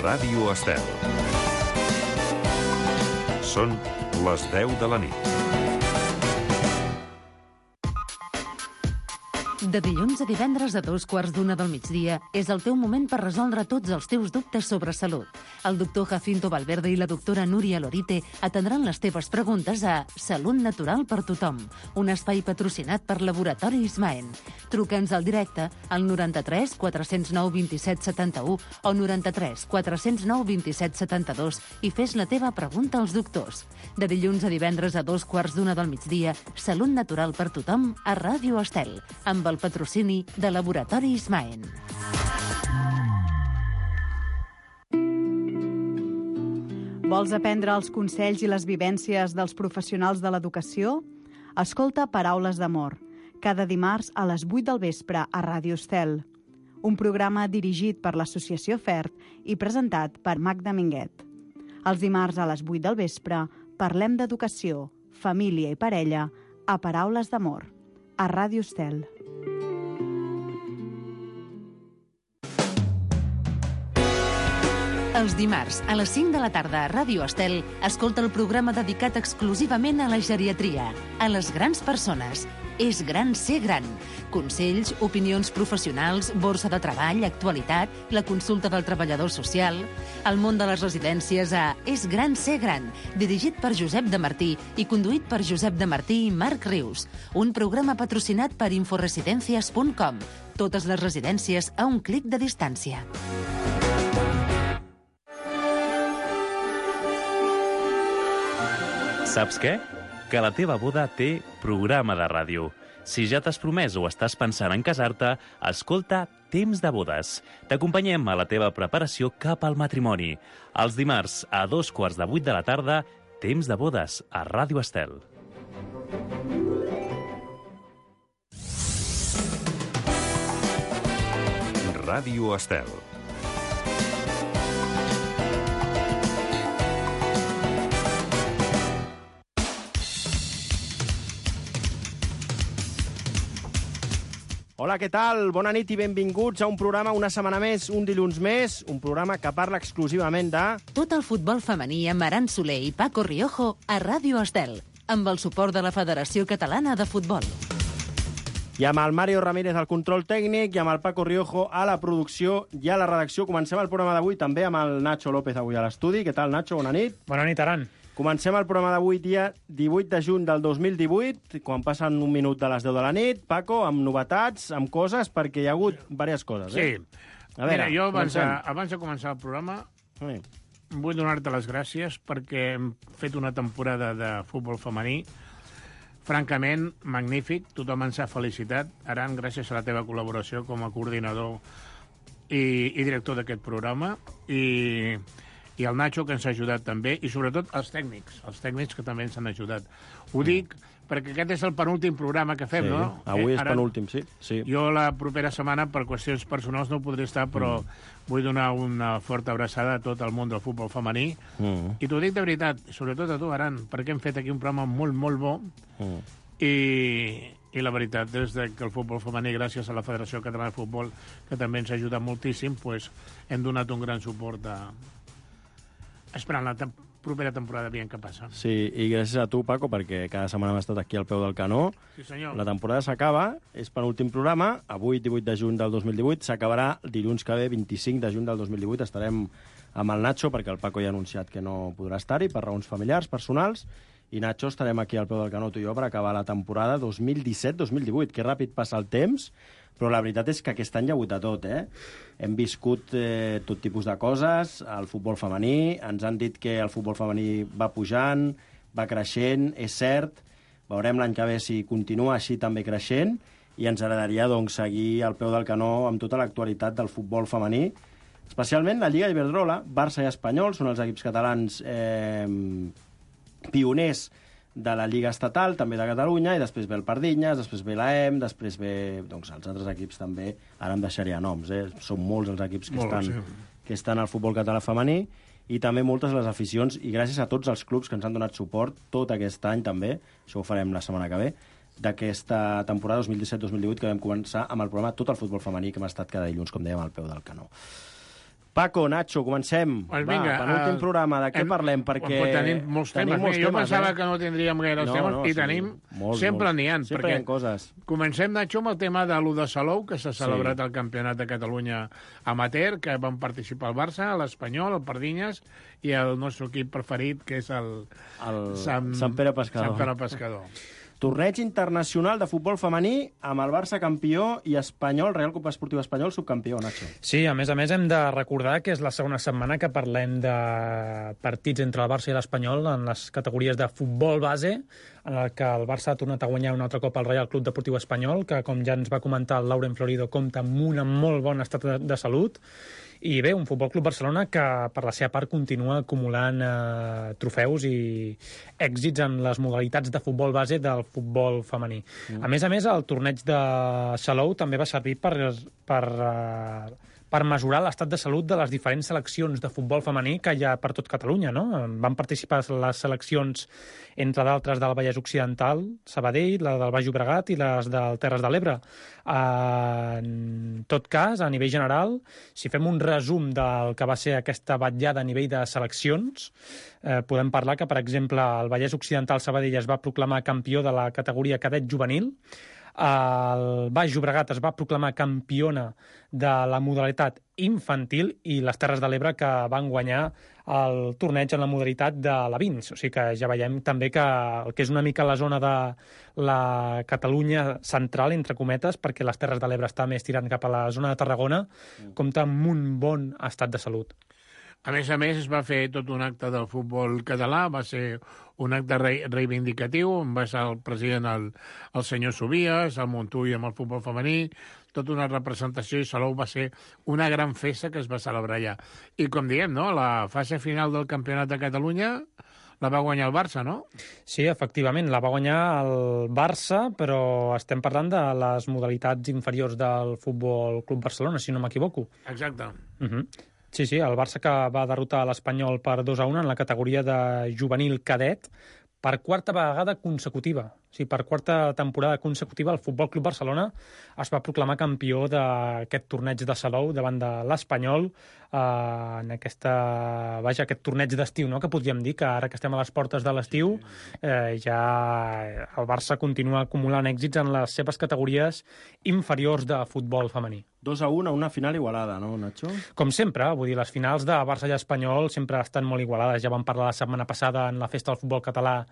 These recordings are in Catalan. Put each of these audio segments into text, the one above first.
Ràdio Estel. Són les 10 de la nit. De dilluns a divendres a 2:15 del migdia és el teu moment per resoldre tots els teus dubtes sobre salut. El doctor Jacinto Valverde i la doctora Núria Lorite atendran les teves preguntes a Salut Natural per Tothom, un espai patrocinat per Laboratori Ismaen. Truca'ns al directe al 93 409 27 71 o 93 409 27 72 i fes la teva pregunta als doctors. De dilluns a divendres a 2:15 del migdia, Salut Natural per Tothom a Ràdio Estel, amb el patrocini de Laboratori Ismaen. Vols aprendre els consells i les vivències dels professionals de l'educació? Escolta Paraules d'Amor, cada dimarts a les 8 del vespre a Ràdio Estel. Un programa dirigit per l'Associació FERT i presentat per Magda Minguet. Els dimarts a les 8 del vespre parlem d'educació, família i parella a Paraules d'Amor, a Ràdio Estel. Els dimarts, a les 5 de la tarda a Ràdio Estel, escolta el programa dedicat exclusivament a la geriatria, a les grans persones. És gran ser gran. Consells, opinions professionals, borsa de treball, actualitat, la consulta del treballador social, el món de les residències a És gran ser gran, dirigit per Josep de Martí i conduït per Josep de Martí i Marc Rius. Un programa patrocinat per inforesidencias.com. Totes les residències a un clic de distància. Saps què? Que la teva boda té programa de ràdio. Si ja t'has promès o estàs pensant en casar-te, escolta Temps de Bodes. T'acompanyem a la teva preparació cap al matrimoni. Els dimarts, a 7:15 de la tarda, Temps de Bodes, a Ràdio Estel. Ràdio Estel. Hola, què tal? Bona nit i benvinguts a un programa una setmana més, un dilluns més, un programa que parla exclusivament de... Tot el futbol femení amb Aran Soler i Paco Riojo a Ràdio Estel, amb el suport de la Federació Catalana de Futbol. I amb el Mario Ramírez al control tècnic i amb el Paco Riojo a la producció i a la redacció. Comencem el programa d'avui també amb el Nacho López avui a l'estudi. Què tal, Nacho? Bona nit. Bona nit, Aran. Comencem el programa d'avui dia 18 de juny del 2018, quan passen un minut de les 10 de la nit. Paco, amb novetats, amb coses, perquè hi ha hagut diverses coses. Sí. A veure, mira, jo abans de començar el programa vull donar-te les gràcies perquè hem fet una temporada de futbol femení francament magnífic. Tothom ens ha felicitat. Aran, gràcies a la teva col·laboració com a coordinador i director d'aquest programa. I el Nacho, que ens ha ajudat també, i sobretot els tècnics que també ens han ajudat. Ho dic perquè aquest és el penúltim programa que fem, sí, no? Avui és penúltim, sí. Jo la propera setmana, per qüestions personals, no podré estar, però vull donar una forta abraçada a tot el món del futbol femení. I t'ho dic de veritat, sobretot a tu, Aran, perquè hem fet aquí un programa molt, molt bo. I la veritat és que el futbol femení, gràcies a la Federació Catalana de Futbol, que també ens ha ajudat moltíssim, pues, hem donat un gran suport esperant la propera temporada, veient què passa. Sí, i gràcies a tu, Paco, perquè cada setmana hem estat aquí al peu del canó. Sí, senyor. La temporada s'acaba, és penúltim programa, avui 18 de juny del 2018, s'acabarà dilluns que ve, 25 de juny del 2018, estarem amb el Nacho, perquè el Paco ja ha anunciat que no podrà estar-hi per raons familiars, personals, i Nacho estarem aquí al peu del canó, tu i jo, per acabar la temporada 2017-2018. Que ràpid passa el temps, però la veritat és que aquest any hi ha hagut de tot, Hem viscut tot tipus de coses, el futbol femení, ens han dit que el futbol femení va pujant, va creixent, és cert, veurem l'any que ve si continua així també creixent, i ens agradaria doncs, seguir al peu del canó amb tota l'actualitat del futbol femení, especialment la Lliga Iberdrola, Barça i Espanyol, són els equips catalans pioners de la Lliga Estatal, també de Catalunya, i després ve el Pardinyes, després ve l'AEM, després ve doncs, els altres equips també, ara em deixaria noms, són molts els equips que estan al futbol català femení, i també moltes les aficions, i gràcies a tots els clubs que ens han donat suport tot aquest any també, això ho farem la setmana que ve, d'aquesta temporada 2017-2018 que vam començar amb el programa Tot el futbol femení, que hem estat cada dilluns, com dèiem, al peu del canó. Paco, Nacho, comencem. Pues vinga, penúltim programa, de què parlem? Perquè tenim molts temes. Jo pensava que no tindríem gaire temes, i tenim... Sempre n'hi ha. Sempre hi ha coses. Comencem, Nacho, amb el tema de l'1 de Salou, que s'ha celebrat el Campionat de Catalunya amateur, que van participar el Barça, l'Espanyol, el Pardinyes, i el nostre equip preferit, que és el Sant Pere Pescador. Sant Pere Pescador. Torneig internacional de futbol femení amb el Barça campió i Espanyol, Real Club Esportiu Espanyol, subcampió, Nacho. Sí, a més hem de recordar que és la segona setmana que parlem de partits entre el Barça i l'Espanyol en les categories de futbol base, en el que el Barça ha tornat a guanyar un altre cop el Real Club Deportiu Espanyol, que, com ja ens va comentar el Lauren Florido, compta amb un molt bon estat de salut. I bé, un Futbol Club Barcelona que, per la seva part, continua acumulant trofeus i èxits en les modalitats de futbol base del futbol femení. A més, el torneig de Salou també va servir per mesurar l'estat de salut de les diferents seleccions de futbol femení que hi ha per tot Catalunya, no? Van participar les seleccions, entre d'altres, del Vallès Occidental, Sabadell, la del Baix Llobregat i les del Terres de l'Ebre. En tot cas, a nivell general, si fem un resum del que va ser aquesta vetllada a nivell de seleccions, podem parlar que, per exemple, el Vallès Occidental Sabadell es va proclamar campió de la categoria cadet juvenil, el Baix Llobregat es va proclamar campiona de la modalitat infantil i les Terres de l'Ebre que van guanyar el torneig en la modalitat de la Vins. O sigui que ja veiem també que el que és una mica la zona de la Catalunya central, entre cometes, perquè les Terres de l'Ebre està més tirant cap a la zona de Tarragona, compta amb un bon estat de salut. A més, es va fer tot un acte del futbol català, va ser un acte reivindicatiu, on va ser el president el senyor Subies, el Montull amb el futbol femení, tota una representació, i Salou va ser una gran festa que es va celebrar allà. I com diem, no?, la fase final del Campionat de Catalunya la va guanyar el Barça, no? Sí, efectivament, la va guanyar el Barça, però estem parlant de les modalitats inferiors del Futbol Club Barcelona, si no m'equivoco. Exacte. Sí, el Barça que va derrotar l'Espanyol per 2-1 en la categoria de juvenil cadet per quarta vegada consecutiva. O sigui, per quarta temporada consecutiva el Futbol Club Barcelona es va proclamar campió d'aquest torneig de Salou davant de l'Espanyol en aquest torneig d'estiu, no?, que podríem dir que ara que estem a les portes de l'estiu ja el Barça continua acumulant èxits en les seves categories inferiors de futbol femení. 2-1 a una final igualada, no, Nacho? Com sempre, vull dir, les finals de Barça i Espanyol sempre estan molt igualades. Ja vam parlar la setmana passada en la festa del futbol català,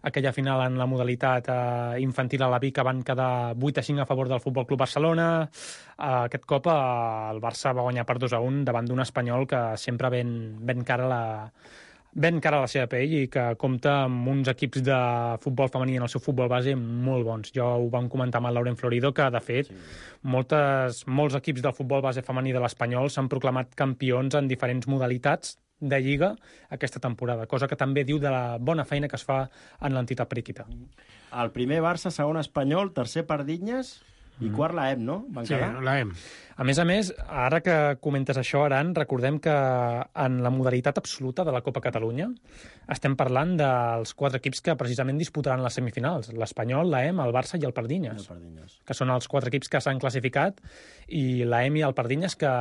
aquella final en la modalitat infantil a la Vic, que van quedar 8-5 a favor del Futbol Club Barcelona. Aquest cop el Barça va guanyar per 2-1 davant d'un Espanyol que sempre ven cara a la seva pell i que compta amb uns equips de futbol femení en el seu futbol base molt bons. Jo ho vam comentar amb el Lauren Florido, que, de fet, molts equips del futbol base femení de l'Espanyol s'han proclamat campions en diferents modalitats de Lliga aquesta temporada, cosa que també diu de la bona feina que es fa en l'entitat periquita. El primer Barça, segon Espanyol, tercer Pardinyes i quart la EM, no? Sí, la EM. A més, ara que comentes això, Aran, recordem que en la modalitat absoluta de la Copa Catalunya estem parlant dels 4 equips que precisament disputaran les semifinals: l'Espanyol, l'EM, el Barça i el Pardinyes, que són els 4 equips que s'han classificat, i l'EM i el Pardinyes que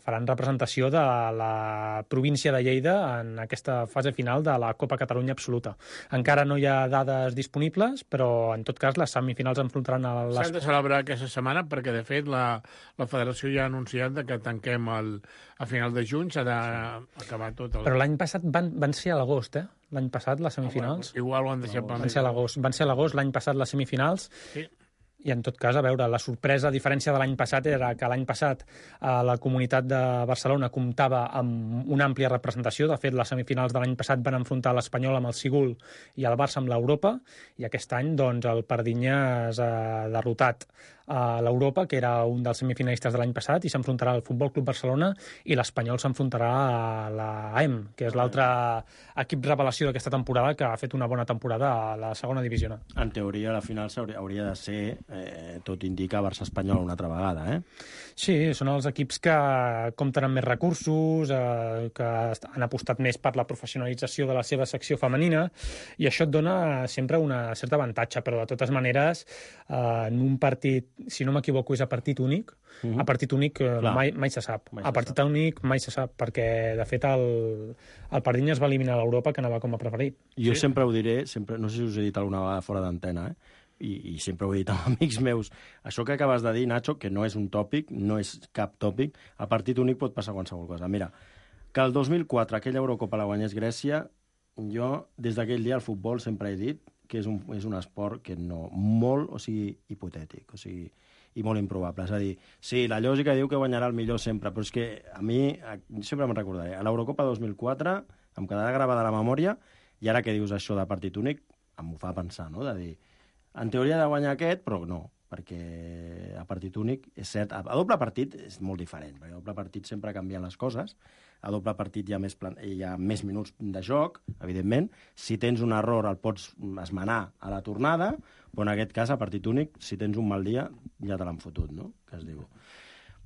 faran representació de la província de Lleida en aquesta fase final de la Copa Catalunya absoluta. Encara no hi ha dades disponibles, però en tot cas les semifinals enfrontaran a les... S'han de celebrar aquesta setmana perquè, de fet, la Federació ja ha anunciat que tanquem a final de juny, s'ha d'acabar tot. Però l'any passat van ser a l'agost, L'any passat, les semifinals. Igual ho han deixat per Van ser a l'agost, l'any passat, les semifinals. Sí. I, en tot cas, a veure, la sorpresa, a diferència de l'any passat, era que l'any passat la Comunitat de Barcelona comptava amb una àmplia representació. De fet, les semifinals de l'any passat van enfrontar l'Espanyol amb el Sigul i el Barça amb l'Europa, i aquest any, doncs, el Pardinyes ha derrotat a l'Europa, que era un dels semifinalistes de l'any passat, i s'enfrontarà al Futbol Club Barcelona, i l'Espanyol s'enfrontarà a l'AEM, que és l'altre equip revelació d'aquesta temporada, que ha fet una bona temporada a la segona divisió. En teoria, la final hauria de ser, tot indica, Barça-Espanyol una altra vegada, Sí, són els equips que compten amb més recursos, que han apostat més per la professionalització de la seva secció femenina, i això et dona sempre una certa avantatge, però de totes maneres, en un partit si no m'equivoco, és a partit únic. A partit únic mai se sap. A partit únic mai se sap, perquè, de fet, el Pardinya es va eliminar a l'Europa, que anava com a preferit. Jo sempre ho diré, no sé si us he dit alguna vegada fora d'antena, i sempre ho he dit amb amics meus. Això que acabes de dir, Nacho, que no és un tòpic, no és cap tòpic, a partit únic pot passar qualsevol cosa. Mira, que el 2004 aquella Eurocopa la guanyés Grècia, jo, des d'aquell dia, al futbol sempre he dit que és un esport que no... molt, hipotètic, i molt improbable. És a dir, sí, la lògica diu que guanyarà el millor sempre, però és que a mi, sempre me'n recordaré, a l'Eurocopa 2004 em quedarà gravada la memòria, i ara que dius això de partit únic, em ho fa pensar, no?, de dir, en teoria ha de guanyar aquest, però no, perquè a partit únic, és cert, a doble partit és molt diferent, perquè a doble partit sempre canvien les coses, a doble partit hi ha més minuts de joc, evidentment, si tens un error el pots esmenar a la tornada, però en aquest cas, a partit únic, si tens un mal dia, ja te l'han fotut, no?, que es diu.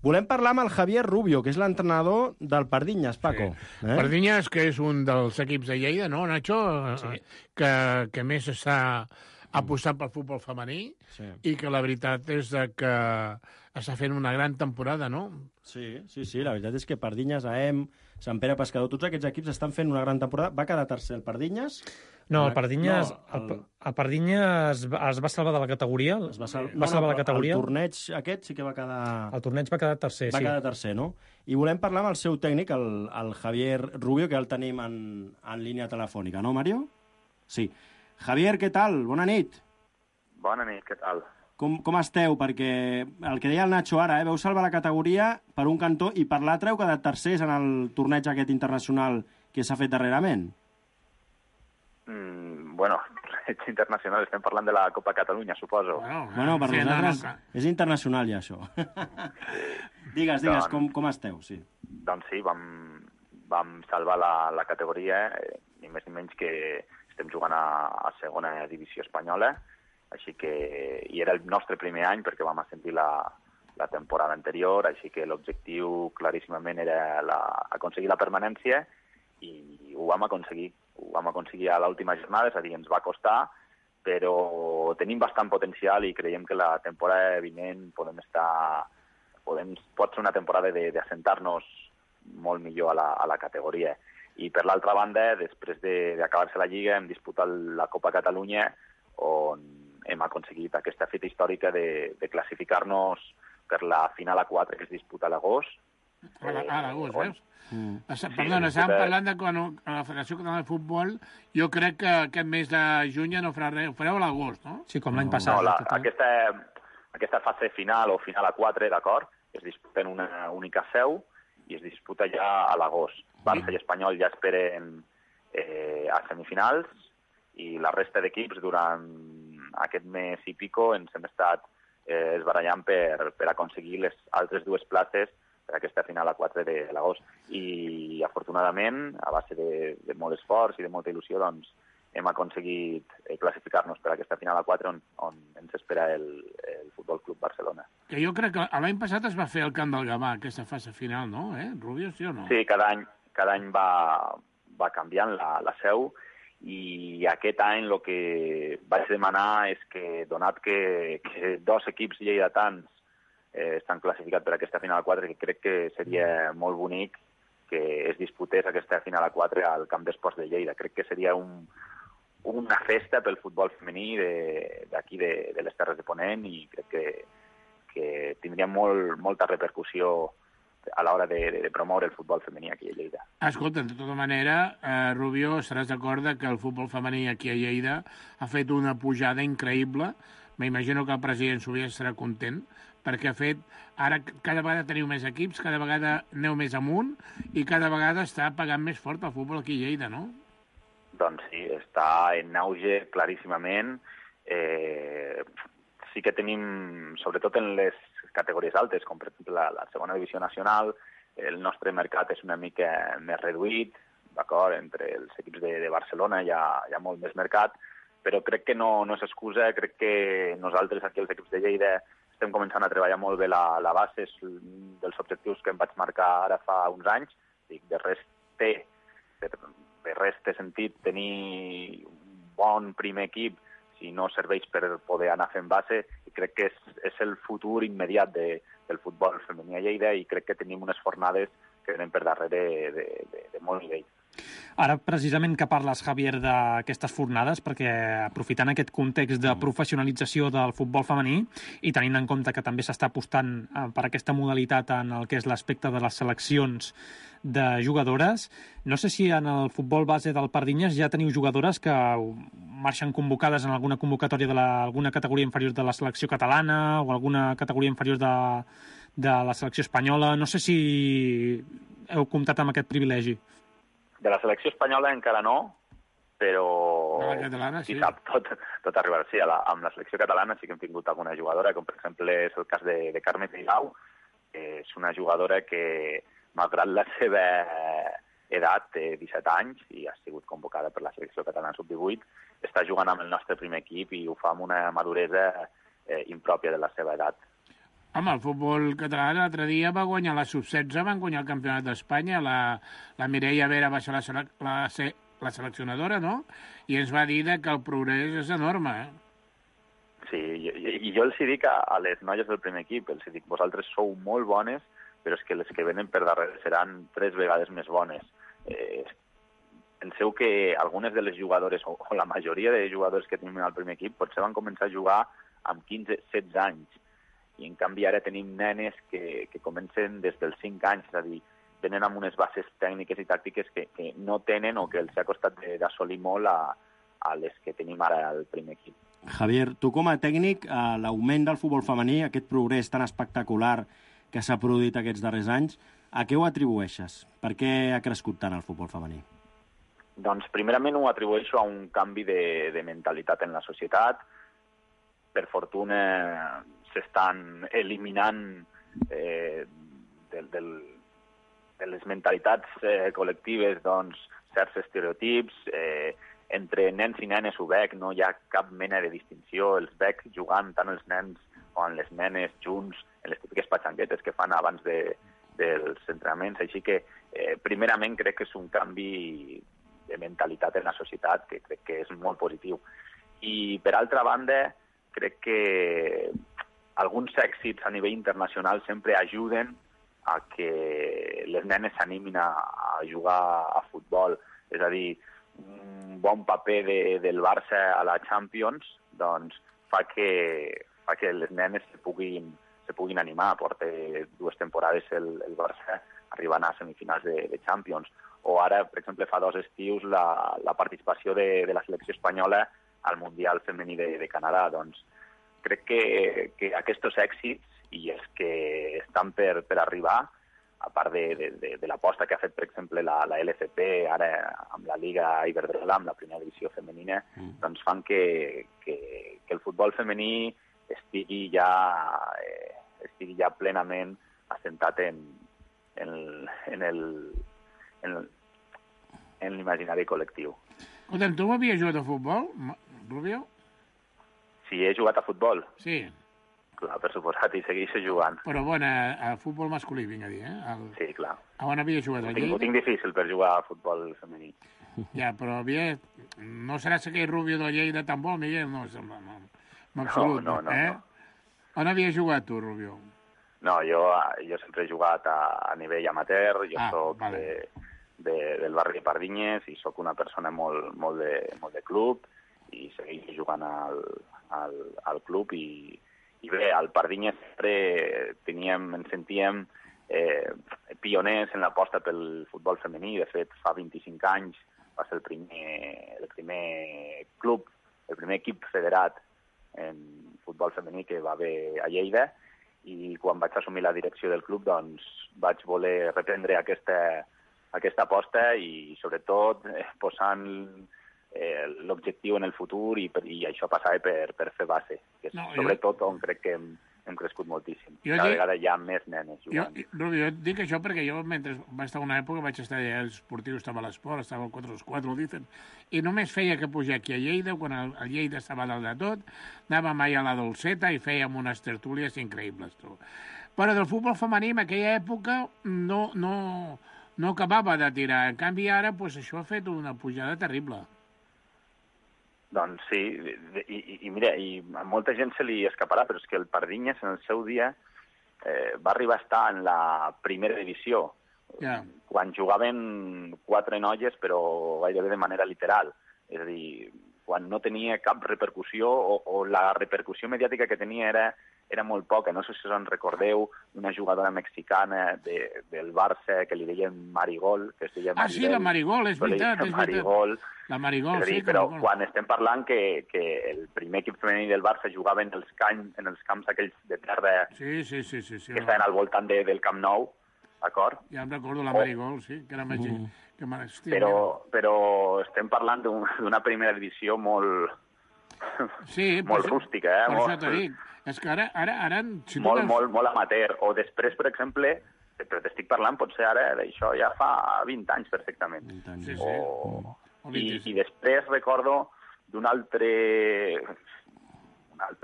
Volem parlar amb el Javier Rubio, que és l'entrenador del Pardinyes, Paco. Sí. Pardinyes, que és un dels equips de Lleida, no, Nacho? Sí. Que més està apostant pel futbol femení, i que la veritat és que està fent una gran temporada, no? Sí, la veritat és que Pardinyes, AM, Sant Pere Pescador, tots aquests equips estan fent una gran temporada. Va quedar tercer el Pardinyes? No, el Pardinyes, el Pardinyes es va salvar de la categoria. Va salvar la categoria. El torneig aquest sí que va quedar... El torneig va quedar tercer, Va quedar tercer, no? I volem parlar amb el seu tècnic, el Javier Rubio, que el tenim en línia telefònica, no, Mario? Sí. Javier, què tal? Bona nit. Bona nit, què tal? Com esteu? Perquè el que deia el Nacho ara, veu salvar la categoria per un cantó i per l'altre heu quedat tercers en el torneig aquest internacional que s'ha fet darrerament. Bueno, torneig internacional, estem parlant de la Copa Catalunya, suposo. Bueno, per nosaltres és internacional ja, això. Digues, com esteu? Sí. Doncs sí, vam salvar la categoria, ni més ni menys que estem jugant a segona divisió espanyola, així que i era el nostre primer any perquè vam ascendir la temporada anterior, així que l'objectiu claríssimament era aconseguir la permanència i ho vam aconseguir. Ho vam aconseguir a l'última jornada, és a dir, ens va costar, però tenim bastant potencial i creiem que la temporada vinent pot ser una temporada d'assentar-nos molt millor a la categoria. I per l'altra banda, després d'acabar-se la Lliga, hem disputat la Copa Catalunya, on hem aconseguit aquesta fita històrica de classificar-nos per la final A4 que es disputa a l'agost. A l'agost, veus? Perdona, estàvem parlant de quan a la Federació Catalana de Futbol, jo crec que aquest mes de juny ja no farà res, ho fareu a l'agost, no? Sí, com l'any passat. No, aquesta fase final o final A4, d'acord, es disputa en una única seu i es disputa ja a l'agost. Barça i Espanyol ja esperen a semifinals i la resta d'equips durant aquest mes i pico ens hem estat esbarallant per aconseguir les altres dues places per aquesta final a 4 de l'agost. I, afortunadament, a base de molt esforç i de molta il·lusió, doncs, hem aconseguit classificar-nos per aquesta final a 4 on ens espera el Futbol Club Barcelona. Que jo crec que l'any passat es va fer al Camp del Gavà, aquesta fase final, no? Rubio, sí o no? Sí, cada any va canviant la seu, i aquest any el que vaig demanar és que, donat que dos equips lleidatans estan classificats per aquesta final a 4, que crec que seria molt bonic que es disputés aquesta final a 4 al Camp d'Esports de Lleida. Crec que seria una festa pel futbol femení d'aquí de les Terres de Ponent, i crec que tindria molta repercussió a l'hora de promoure el futbol femení aquí a Lleida. Escolta, de tota manera, Rubio, estaràs d'acord que el futbol femení aquí a Lleida ha fet una pujada increïble. M'imagino que el president Sobier estarà content, perquè ha fet... Ara cada vegada teniu més equips, cada vegada aneu més amunt i cada vegada està pagant més fort el futbol aquí a Lleida, no? Doncs sí, està en auge claríssimament. Sí que tenim, sobretot en les categories altes, com per exemple la segona divisió nacional, el nostre mercat és una mica més reduït, d'acord? Entre els equips de Barcelona hi ha molt més mercat, però crec que no és excusa. Crec que nosaltres aquí, els equips de Lleida, estem començant a treballar molt bé la base, és dels objectius que em vaig marcar ara fa uns anys. De res té sentit tenir un bon primer equip i no serveix per poder anar fent base, i crec que és el futur immediat del futbol femení a Lleida, i crec que tenim unes fornades que venen per darrere de molt nivell. Ara, precisament que parles, Javier, d'aquestes fornades, perquè aprofitant aquest context de professionalització del futbol femení i tenint en compte que també s'està apostant per aquesta modalitat en el que és l'aspecte de les seleccions de jugadores, no sé si en el futbol base del Pardinyes ja teniu jugadores que marxen convocades en alguna convocatòria d'alguna categoria inferior de la selecció catalana o alguna categoria inferior de la selecció espanyola. No sé si heu comptat amb aquest privilegi. De la selecció espanyola encara no, però la catalana, sí. Qui sap, tot arribarà. Sí, amb la selecció catalana sí que hem tingut alguna jugadora, com per exemple és el cas de Carme Teilau, que és una jugadora que, malgrat la seva edat, té 17 anys i ha sigut convocada per la selecció catalana sub-18, està jugant amb el nostre primer equip i ho fa amb una maduresa impròpia de la seva edat. Home, el futbol català l'altre dia va guanyar la sub-16, van guanyar el campionat d'Espanya, la Mireia Vera va ser la seleccionadora, no? I ens va dir que el progrés és enorme, Sí, i jo els dic a les noies del primer equip, els dic, vosaltres sou molt bones, però és que les que venen per darrere seran 3 vegades més bones. Penseu que algunes de les jugadores, o la majoria de jugadors que tenim al primer equip, potser van començar a jugar amb 15-16 anys, i en canvi ara tenim nenes que comencen des dels 5 anys, és a dir, venen amb unes bases tècniques i tàctiques que no tenen o que els ha costat d'assolir molt a les que tenim ara al primer equip. Javier, tu com a tècnic, l'augment del futbol femení, aquest progrés tan espectacular que s'ha produït aquests darrers anys, a què ho atribueixes? Per què ha crescut tant el futbol femení? Doncs primerament ho atribueixo a un canvi de mentalitat en la societat. Per fortuna s'estan eliminant de les mentalitats col·lectives certs estereotips. Entre nens i nenes ho veig, no hi ha cap mena de distinció. Els veig jugant tant els nens com les nenes junts en les típiques patxanguetes que fan abans dels entrenaments. Així que, primerament, crec que és un canvi de mentalitat en la societat que crec que és molt positiu. I, per altra banda, crec que alguns èxits a nivell internacional sempre ajuden a que les nenes s'animin a jugar a futbol. És a dir, un bon paper del Barça a la Champions doncs, fa que les nenes se puguin animar. Porta 2 temporades el Barça arribant a semifinals de Champions. O ara, per exemple, fa 2 estius la participació de la selecció espanyola al Mundial Femení de Canadà. Doncs crec que aquests èxits i els que estan per arribar, a part de l'aposta que ha fet, per exemple, la LCP, ara amb la Lliga Iberdrola, amb la primera divisió femenina, doncs fan que el futbol femení estigui ja plenament assentat en l'imaginari col·lectiu. Escolta'm, tu havies jugat a futbol, Rubio? Si he jugat a futbol? Sí. Clar, per suposat, i segueixo jugant. Però bueno, a futbol masculí, vinc a dir, Sí, clar. On havies jugat? A Lleida? Ho tinc difícil per jugar a futbol femení. Ja, però no seràs aquell Rubio de Lleida tan bo, Miguel? No, en absolut. No. On havies jugat tu, Rubio? No, jo sempre he jugat a nivell amateur, jo soc del barri de Pardinyes i sóc una persona molt de club i segueixo jugant al club i bé, al Pardinyes sempre ens sentíem pioners en l'aposta pel futbol femení. De fet, fa 25 anys va ser el primer club, el primer equip federat en futbol femení que va haver a Lleida, i quan vaig assumir la direcció del club doncs vaig voler reprendre aquesta aposta i sobretot posant l'objectiu en el futur i això passava per fer base, que és sobretot on crec que hem crescut moltíssim. Cada vegada hi ha més nenes jugant. Rubio, jo dic això perquè jo, mentre vaig estar una època, vaig estar allà esportiu, estava a l'esport, estava al 4-4, dicen, i només feia que pujar aquí a Lleida, quan el Lleida estava dalt de tot, anàvem mai a la Dolceta i fèiem unes tertúlies increïbles, tu. Però del futbol femení en aquella època no acabava de tirar. En canvi, ara, això ha fet una pujada terrible. Doncs sí, i mira, i a molta gent se li escaparà, però és que el Pardinyes en el seu dia va arribar a estar en la primera divisió, quan jugaven 4 noies, però gairebé de manera literal. És a dir, quan no tenia cap repercussió, o la repercussió mediàtica que tenia era molt poca. No sé si us en recordeu una jugadora mexicana del Barça que li deien Marigol, que es deia Maribel. Sí, la Marigol, és veritat. Marigol. La Marigol, sí. Però quan estem parlant que el primer equip femení del Barça jugava en els camps aquells de terra que estaven al voltant del Camp Nou, d'acord? Ja em recordo la Marigol, sí, que era màgic. Però estem parlant d'una primera divisió molt rústica, per això t'ho dic. És que ara... Molt amateur. O després, per exemple, però t'estic parlant potser ara d'això ja fa 20 anys perfectament. I després recordo d'una altra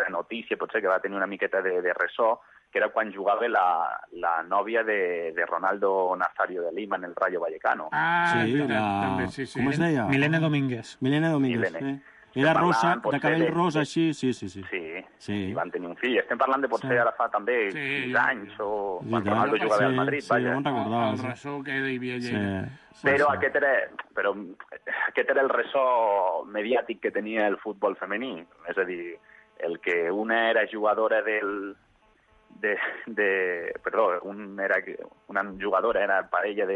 notícia, potser que va tenir una miqueta de ressò, que era quan jugava la nòvia de Ronaldo Nazario de Lima en el Rayo Vallecano. També, sí. Com es deia? Milene Domínguez. Era rosa, de cabell rosa, així, sí. Sí, i van tenir un fill. Estem parlant de potser ara fa també 15 anys, o quan Ronaldo jugava al Madrid, vaja. El ressò que hi havia allà. Però aquest era el ressò mediàtic que tenia el futbol femení. És a dir, el que una era jugadora una jugadora era parella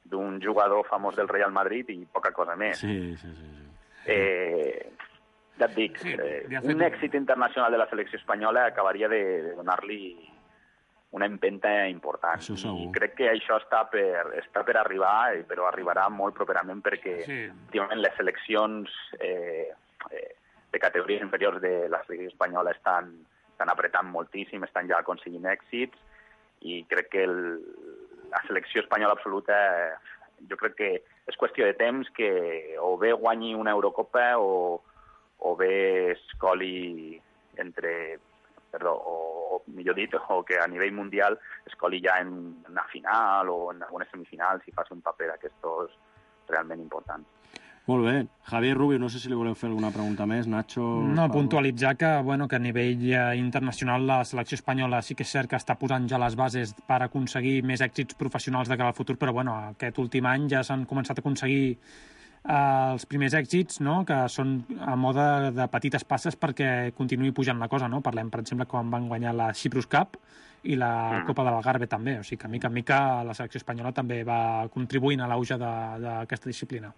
d'un jugador famós del Real Madrid i poca cosa més. Sí. Ja et dic, un èxit internacional de la selecció espanyola acabaria de donar-li una empenta important. I crec que això està per arribar, però arribarà molt properament perquè les seleccions de categories inferiors de la selecció espanyola estan apretant moltíssim, estan ja aconseguint èxits, i crec que la selecció espanyola absoluta, jo crec que és qüestió de temps que o bé guanyi una Eurocopa o bé escoli o millor dit, o que a nivell mundial escoli ja en una final o en algunes semifinals i faci un paper d'aquestos realment importants. Molt bé. Javier Rubio, no sé si li voleu fer alguna pregunta més. Nacho... No, puntualitzar que a nivell internacional la selecció espanyola sí que és cert que està posant ja les bases per aconseguir més èxits professionals de cara al futur, però aquest últim any ja s'han començat a aconseguir els primers èxits, no?, que són a mode de petites passes perquè continuï pujant la cosa, no? Parlem, per exemple, quan van guanyar la Cyprus Cup i la Copa de l'Algarve també. O sigui que, mica en mica, la selecció espanyola també va contribuint a l'auge d'aquesta disciplina.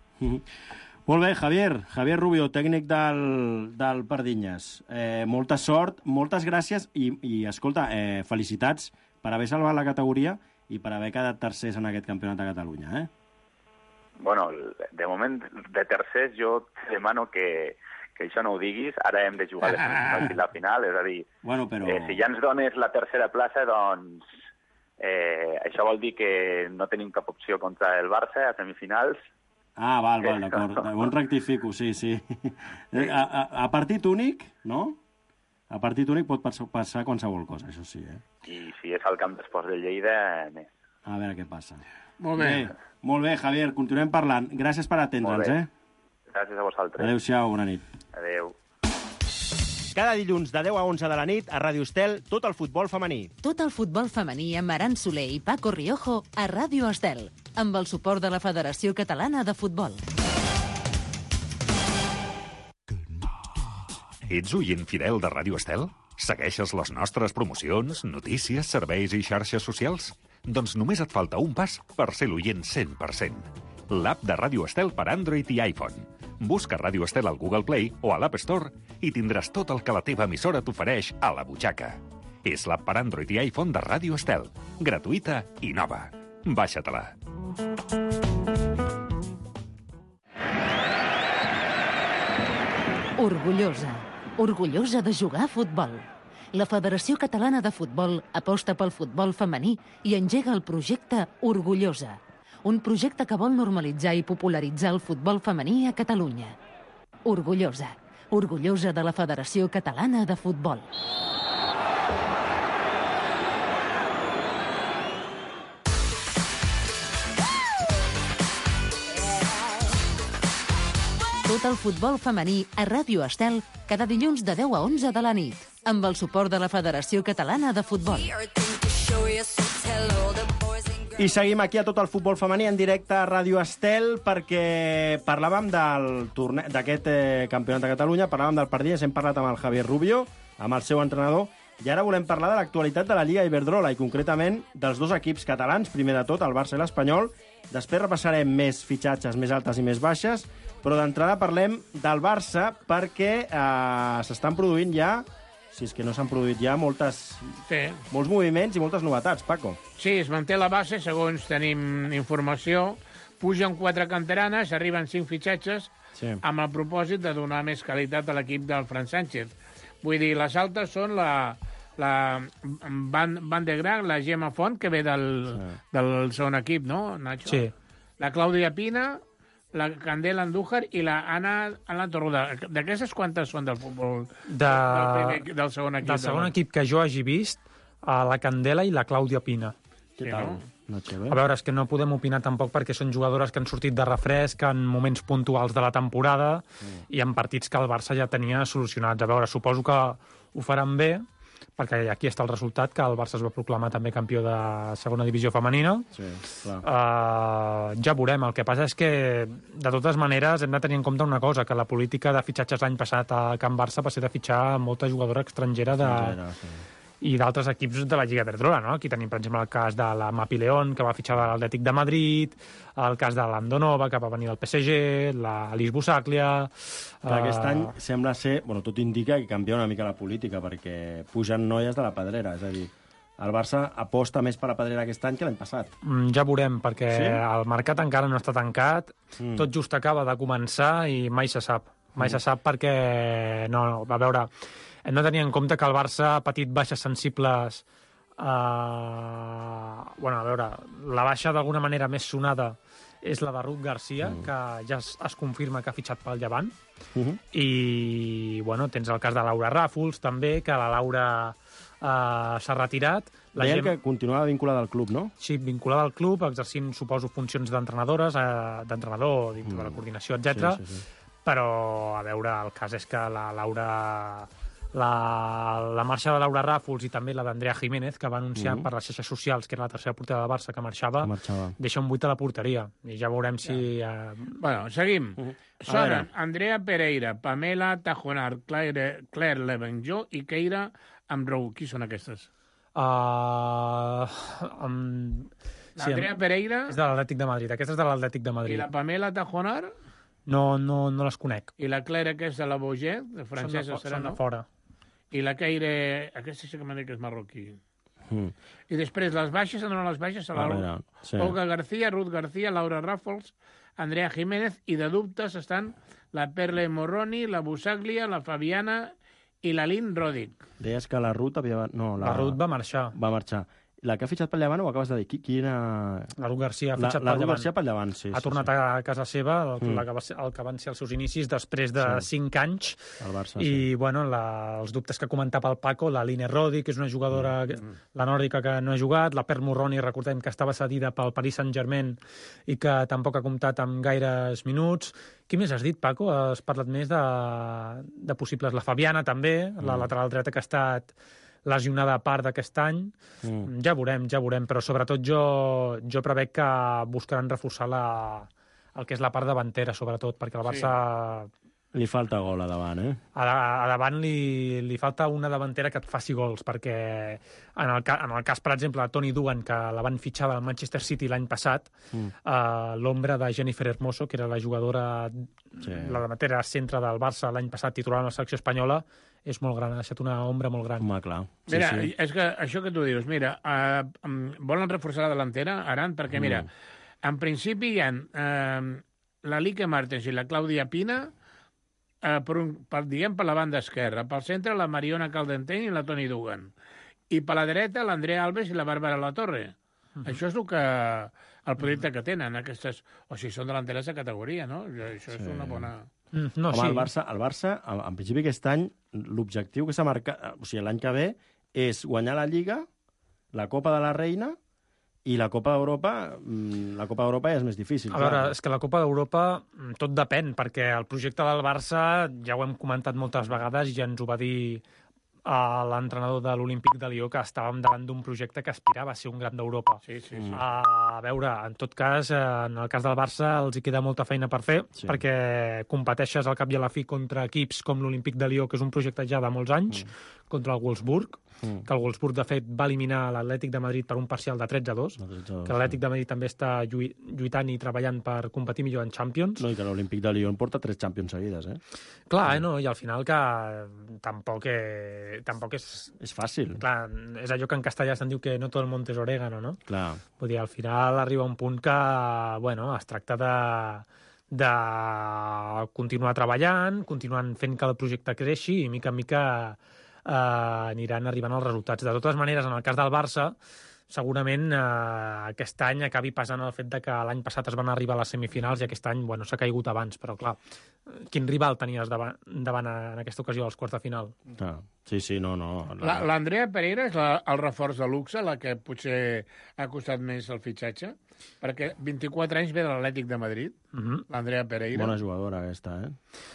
Molt bé, Javier Rubio, tècnic del Pardinyes. Molta sort, moltes gràcies i escolta, felicitats per haver salvat la categoria i per haver quedat tercers en aquest campionat de Catalunya, Bueno, de moment, de tercers, jo te demano que això no ho diguis. Ara hem de jugar les semifinals i la final, és a dir, si ja ens dones la tercera plaça, doncs això vol dir que no tenim cap opció contra el Barça a semifinals. Val, d'acord. Bon rectifico, sí. A partit únic, no? A partit únic pot passar qualsevol cosa, això sí, I si és al camp d'esports de Lleida, més. A veure què passa. Molt bé, Javier, continuem parlant. Gràcies per atendre'ns, Gràcies a vosaltres. Adéu-siau, bona nit. Adéu. Cada dilluns de 10 a 11 de la nit a Ràdio Estel, tot el futbol femení. Tot el futbol femení amb Aran Soler i Paco Riojo a Ràdio Estel, amb el suport de la Federació Catalana de Futbol. Ets oient fidel de Ràdio Estel? Segueixes les nostres promocions, notícies, serveis i xarxes socials? Doncs només et falta un pas per ser l'oient 100%. L'app de Ràdio Estel per Android i iPhone. Busca Ràdio Estel al Google Play o a l'App Store i tindràs tot el que la teva emissora t'ofereix a la butxaca. És l'app per Android i iPhone de Ràdio Estel. Gratuïta i nova. Baixa-te-la. Orgullosa de jugar a futbol. La Federació Catalana de Futbol aposta pel futbol femení i engega el projecte Orgullosa, un projecte que vol normalitzar i popularitzar el futbol femení a Catalunya. Orgullosa de la Federació Catalana de Futbol. Debuta el futbol femení a Ràdio Estel cada dilluns de 10 a 11 de la nit, amb el suport de la Federació Catalana de Futbol. I seguim aquí a Tot el futbol femení en directe a Ràdio Estel perquè parlàvem d'aquest campionat de Catalunya, parlàvem del Pardines, hem parlat amb el Javier Rubio, amb el seu entrenador, i ara volem parlar de l'actualitat de la Lliga Iberdrola i concretament dels dos equips catalans, primer de tot el Barça i l'Espanyol. Després repassarem més fitxatges, més altes i més baixes, però d'entrada parlem del Barça perquè s'estan produint ja, si és que no s'han produït ja, molts moviments i moltes novetats, Paco. Sí, es manté la base, segons tenim informació. Pugen 4 canteranes, arriben 5 fitxatges, amb el propòsit de donar més qualitat a l'equip del Fran Sánchez. Vull dir, les altes són la Van de Graac, la Gemma Font, que ve del segon equip, no, Nacho? Sí. La Clàudia Pina, la Candela Andújar i la Anna Torruda. D'aquestes quantes són del futbol del segon equip? Del segon equip que jo hagi vist, la Candela i la Clàudia Pina. Què tal? A veure, és que no podem opinar tampoc perquè són jugadores que han sortit de refresc en moments puntuals de la temporada i en partits que el Barça ja tenia solucionats. A veure, suposo que ho faran bé, perquè aquí està el resultat, que el Barça es va proclamar també campió de segona divisió femenina. Sí, clar. Ja veurem. El que passa és que, de totes maneres, hem de tenir en compte una cosa, que la política de fitxatges l'any passat a Can Barça va ser de fitxar molta jugadora estrangera i d'altres equips de la Lliga Iberdrola, no? Aquí tenim, per exemple, el cas de la Mapi León, que va fitxar de l'Atlètic de Madrid, el cas de l'Andonova, que va venir del PSG, l'Alice Busaglia... Aquest any sembla ser... Bueno, tot indica que canvia una mica la política, perquè pugen noies de la Pedrera, és a dir, el Barça aposta més per la Pedrera aquest any que l'any passat. Ja veurem, perquè el mercat encara no està tancat, tot just acaba de començar i mai se sap. Mai se sap perquè... No, a veure... Hem de tenir en compte que el Barça ha patit baixes sensibles... Bueno, a veure, la baixa d'alguna manera més sonada és la de Ruth Garcia, que ja es confirma que ha fitxat pel Llevant. I, bueno, tens el cas de Laura Ràfols, també, que la Laura s'ha retirat. Deien que continuava vinculada al club, no? Sí, vinculada al club, exercint, suposo, funcions d'entrenadores, d'entrenador, dintre de la coordinació, etc. Sí. Però, a veure, el cas és que la Laura... La marxa de Laura Ràfols i també la d'Andrea Jiménez, que va anunciar per les xarxes socials, que era la tercera portera del Barça que marxava, deixa un buit a la porteria. I ja veurem si... Bueno, seguim. Sonen Andrea Pereira, Pamela Tajonar, Claire Levenjó i Keira Amrou. Qui són aquestes? Andrea Pereira... És de l'Atlètic de Madrid. Aquesta és de l'Atlètic de Madrid. I la Pamela Tajonar? No les conec. I la Clara, que és de la Boget, de francesa, serà, no? Són de fora. I la Keira... Aquesta sí que m'ha dit que és marroquí. I després, les baixes, on les baixes? Olga García, Ruth García, Laura Ràfols, Andrea Jiménez, i de dubtes estan la Perle Morroni, la Busaglia, la Fabiana i la Lynn Roddick. Deies que la Ruth havia... No, la Ruth va marxar. Va marxar. La que ha fitxat pel Llevant, ho acabes de dir? Quina... La Ruth Garcia ha fitxat pel Llevant. La Ruth Garcia pel Llevant, sí. Ha tornat a casa seva, el que van ser els seus inicis, després de 5 anys. El Barça, I, bueno, els dubtes que comentava el Paco, la Line Roddick, que és una jugadora, la nòrdica, que no ha jugat, la Per Morroni, recordem que estava cedida pel Paris Saint-Germain i que tampoc ha comptat amb gaires minuts. Qui més has dit, Paco? Has parlat més de possibles. La Fabiana, també, la lateral dreta, que ha estat lesionada a part d'aquest any. Ja veurem, però sobretot jo prevec que buscaran reforçar el que és la part davantera, sobretot, perquè el Barça... Li falta gol a davant, eh? A davant li falta una davantera que et faci gols, perquè en el cas, per exemple, de Toni Dugan, que la van fitxar del Manchester City l'any passat, l'ombra de Jennifer Hermoso, que era la jugadora, la davantera centre del Barça l'any passat, titular en la selecció espanyola, és molt gran, ha deixat una ombra molt gran. Home, clar. Mira, és que això que tu dius, mira, volen reforçar la delantera, Aran, perquè, mira, en principi hi ha la Lique Martens i la Clàudia Pina, diguem, per la banda esquerra, pel centre la Mariona Caldenteny i la Toni Dugan, i per la dreta l'Andrea Alves i la Bàrbara Latorre. Això és el projecte que tenen, aquestes... O sigui, són delanteres de categoria, no? Això és una bona... No, home, sí. El Barça, en principi aquest any, l'objectiu que s'ha marcat, o sigui, l'any que ve, és guanyar la Lliga, la Copa de la Reina I la Copa d'Europa ja és més difícil. A veure, és que la Copa d'Europa tot depèn, perquè el projecte del Barça, ja ho hem comentat moltes vegades, ja ens ho va dir l'entrenador de l'Olímpic de Lió, que estàvem davant d'un projecte que aspirava a ser un gran d'Europa. Sí. A veure, en tot cas, en el cas del Barça els hi queda molta feina per fer, perquè competeixes al cap i a la fi contra equips com l'Olímpic de Lió, que és un projecte ja de molts anys, contra el Wolfsburg, que el Wolfsburg, de fet, va eliminar l'Atlètic de Madrid per un parcial de 13-2, que l'Atlètic de Madrid també està lluitant i treballant per competir millor en Champions. No, i que l'Olímpic de Lyon porta 3 Champions seguides, Clar, no, i al final que tampoc és... És fàcil. Clar, és allò que en castellà se'n diu que no tot el monte és orégano, no? Clar. Vull dir, al final arriba un punt que, bueno, es tracta de continuar treballant, continuant fent que el projecte creixi i mica en mica aniran arribant els resultats. De totes maneres, en el cas del Barça, segurament aquest any acabi passant el fet de que l'any passat es van arribar a les semifinals i aquest any, bueno, s'ha caigut abans, però clar, quin rival tenies davant en aquesta ocasió als quarts de final? Sí, no. L'Andrea Pereira és el reforç de luxe, la que potser ha costat més el fitxatge, perquè 24 anys ve de l'Atlètic de Madrid, l'Andrea Pereira. Bona jugadora aquesta,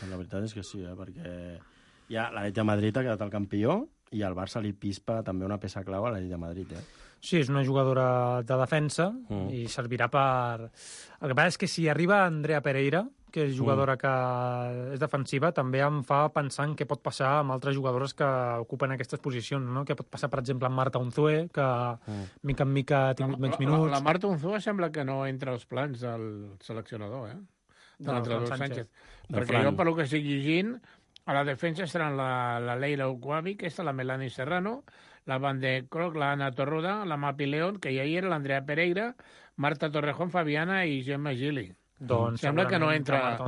La veritat és que sí, perquè ja l'Atlètic de Madrid ha quedat el campió i al Barça li pispa també una peça clau a l'Atlètic de Madrid, Sí, és una jugadora de defensa i servirà per... El que passa és que si arriba Andrea Pereira, que és jugadora que és defensiva, també em fa pensar en què pot passar amb altres jugadores que ocupen aquestes posicions, no? Què pot passar, per exemple, amb Marta Unzué, que mica en mica ha tingut menys minuts. La Marta Unzué sembla que no entra als plans del seleccionador, de l'entrenador Sánchez. Perquè jo, per lo que estic llegint, a la defensa estaran la Leila Ouabi, que és la Melanie Serrano, la Van de Kroc, la Ana Torroda, la Mapi León, que ja hi era, l'Andrea Pereira, Marta Torrejón, Fabiana i Gemma Gili. Doncs sembla que no entra... La Marta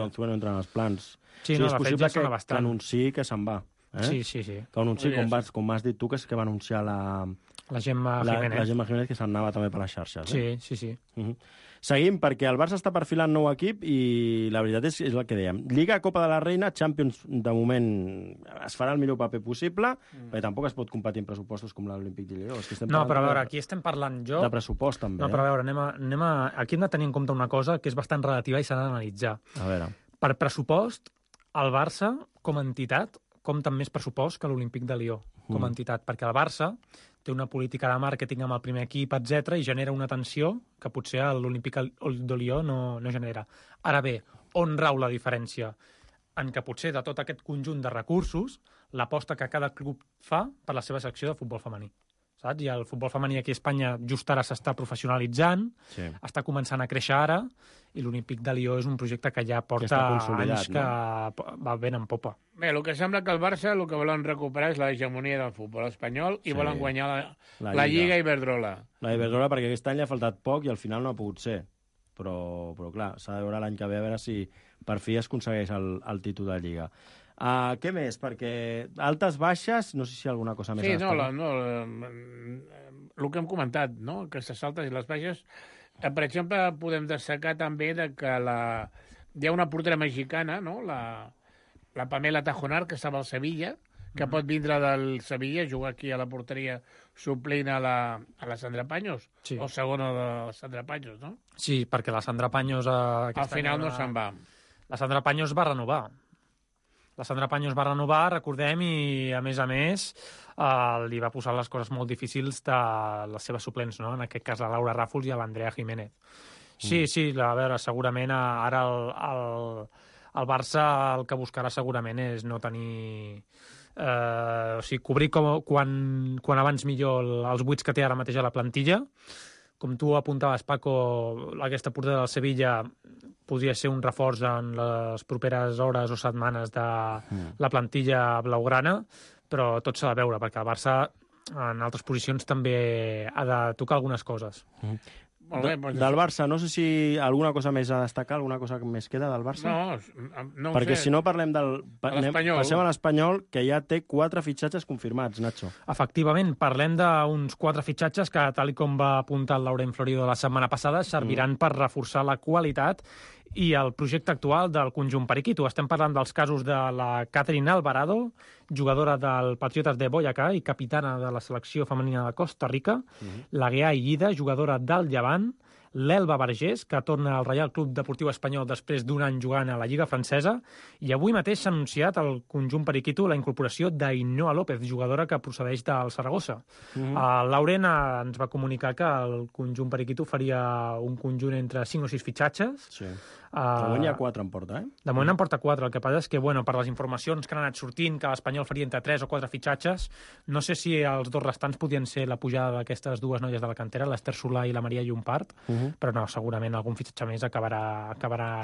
Unzué no entra en els plans. Sí, és possible que anunciï que se'n va. Sí. Que anunciï, com has dit tu, que va anunciar la Gemma Jiménez. La Gemma Jiménez, que se'n anava també per les xarxes. Sí. Seguim, perquè el Barça està perfilant nou equip i la veritat és el que dèiem. Lliga, Copa de la Reina, Champions, de moment es farà el millor paper possible, perquè tampoc es pot competir en pressupostos com l'Olímpic de Lió. No, però a veure, aquí estem parlant de pressupost, també. No, però a veure, aquí hem de tenir en compte una cosa que és bastant relativa i s'ha d'analitzar. A veure. Per pressupost, el Barça, com a entitat, compta amb més pressupost que l'Olímpic de Lió, com a entitat, perquè el Barça té una política de màrqueting amb el primer equip, etc i genera una tensió que potser l'Olímpic de Lió no genera. Ara bé, on rau la diferència? En què potser de tot aquest conjunt de recursos, l'aposta que cada club fa per la seva secció de futbol femení. Saps? I el futbol femení aquí a Espanya just ara s'està professionalitzant, està començant a créixer ara, i l'Olímpic de Lió és un projecte que ja porta anys que va ben en popa. Bé, el que sembla que el Barça el que volen recuperar és l'hegemonia del futbol espanyol i volen guanyar la Lliga Iberdrola. La Iberdrola, perquè aquest any li ha faltat poc i al final no ha pogut ser. Però clar, s'ha de veure l'any que ve a veure si per fi es aconsegueix el títol de Lliga. Què més? Perquè altes, baixes, no sé si hi ha alguna cosa més. Sí, el que hem comentat, no? Aquestes altes i les baixes. Per exemple, podem destacar també que hi ha una portera mexicana, no? La Pamela Tajonar, que estava al Sevilla, que pot vindre del Sevilla, jugar aquí a la porteria suplint a la Sandra Paños, o segona de la Sandra Paños, no? Sí, perquè la Sandra Paños... Al final no se'n va. La Sandra Paños va renovar. Recordem, i a més, li va posar les coses molt difícils de les seves suplents, no? En aquest cas la Laura Ràfols i l'Andrea Jiménez. Sí, a veure, segurament ara el Barça el que buscarà segurament és no tenir... cobrir quan abans millor els buits que té ara mateix a la plantilla. Com tu apuntaves, Paco, aquesta portera del Sevilla podria ser un reforç en les properes hores o setmanes de la plantilla blaugrana, però tot s'ha de veure, perquè el Barça en altres posicions també ha de tocar algunes coses. Del Barça, no sé si alguna cosa més a destacar, alguna cosa més queda del Barça? No ho perquè sé. Si no parlem passem a l'Espanyol, que ja té 4 fitxatges confirmats, Nacho. Efectivament, parlem d'uns 4 fitxatges que, tal com va apuntar el Laurent Florido la setmana passada, serviran per reforçar la qualitat i el projecte actual del conjunt periquito. Estem parlant dels casos de la Catherine Alvarado, jugadora del Patriotas de Boyacá i capitana de la selecció femenina de Costa Rica, la Guià Iguida, jugadora del Llevant, l'Elba Vergés, que torna al Reial Club Deportiu Espanyol després d'un any jugant a la Lliga Francesa, i avui mateix s'ha anunciat al conjunt periquito la incorporació d'Ainhoa López, jugadora que procedeix del Saragossa. Lauren ens va comunicar que el conjunt periquito faria un conjunt entre 5 o 6 fitxatges. Sí. De moment hi ha 4 en porta, De moment en porta 4. El que passa és que, per les informacions que han anat sortint, que l'Espanyol faria entre 3 o 4 fitxatges, no sé si els 2 restants podien ser la pujada d'aquestes 2 noies de la cantera, l'Ester Solà i la Maria Llompart, però no, segurament algun fitxatge més acabarà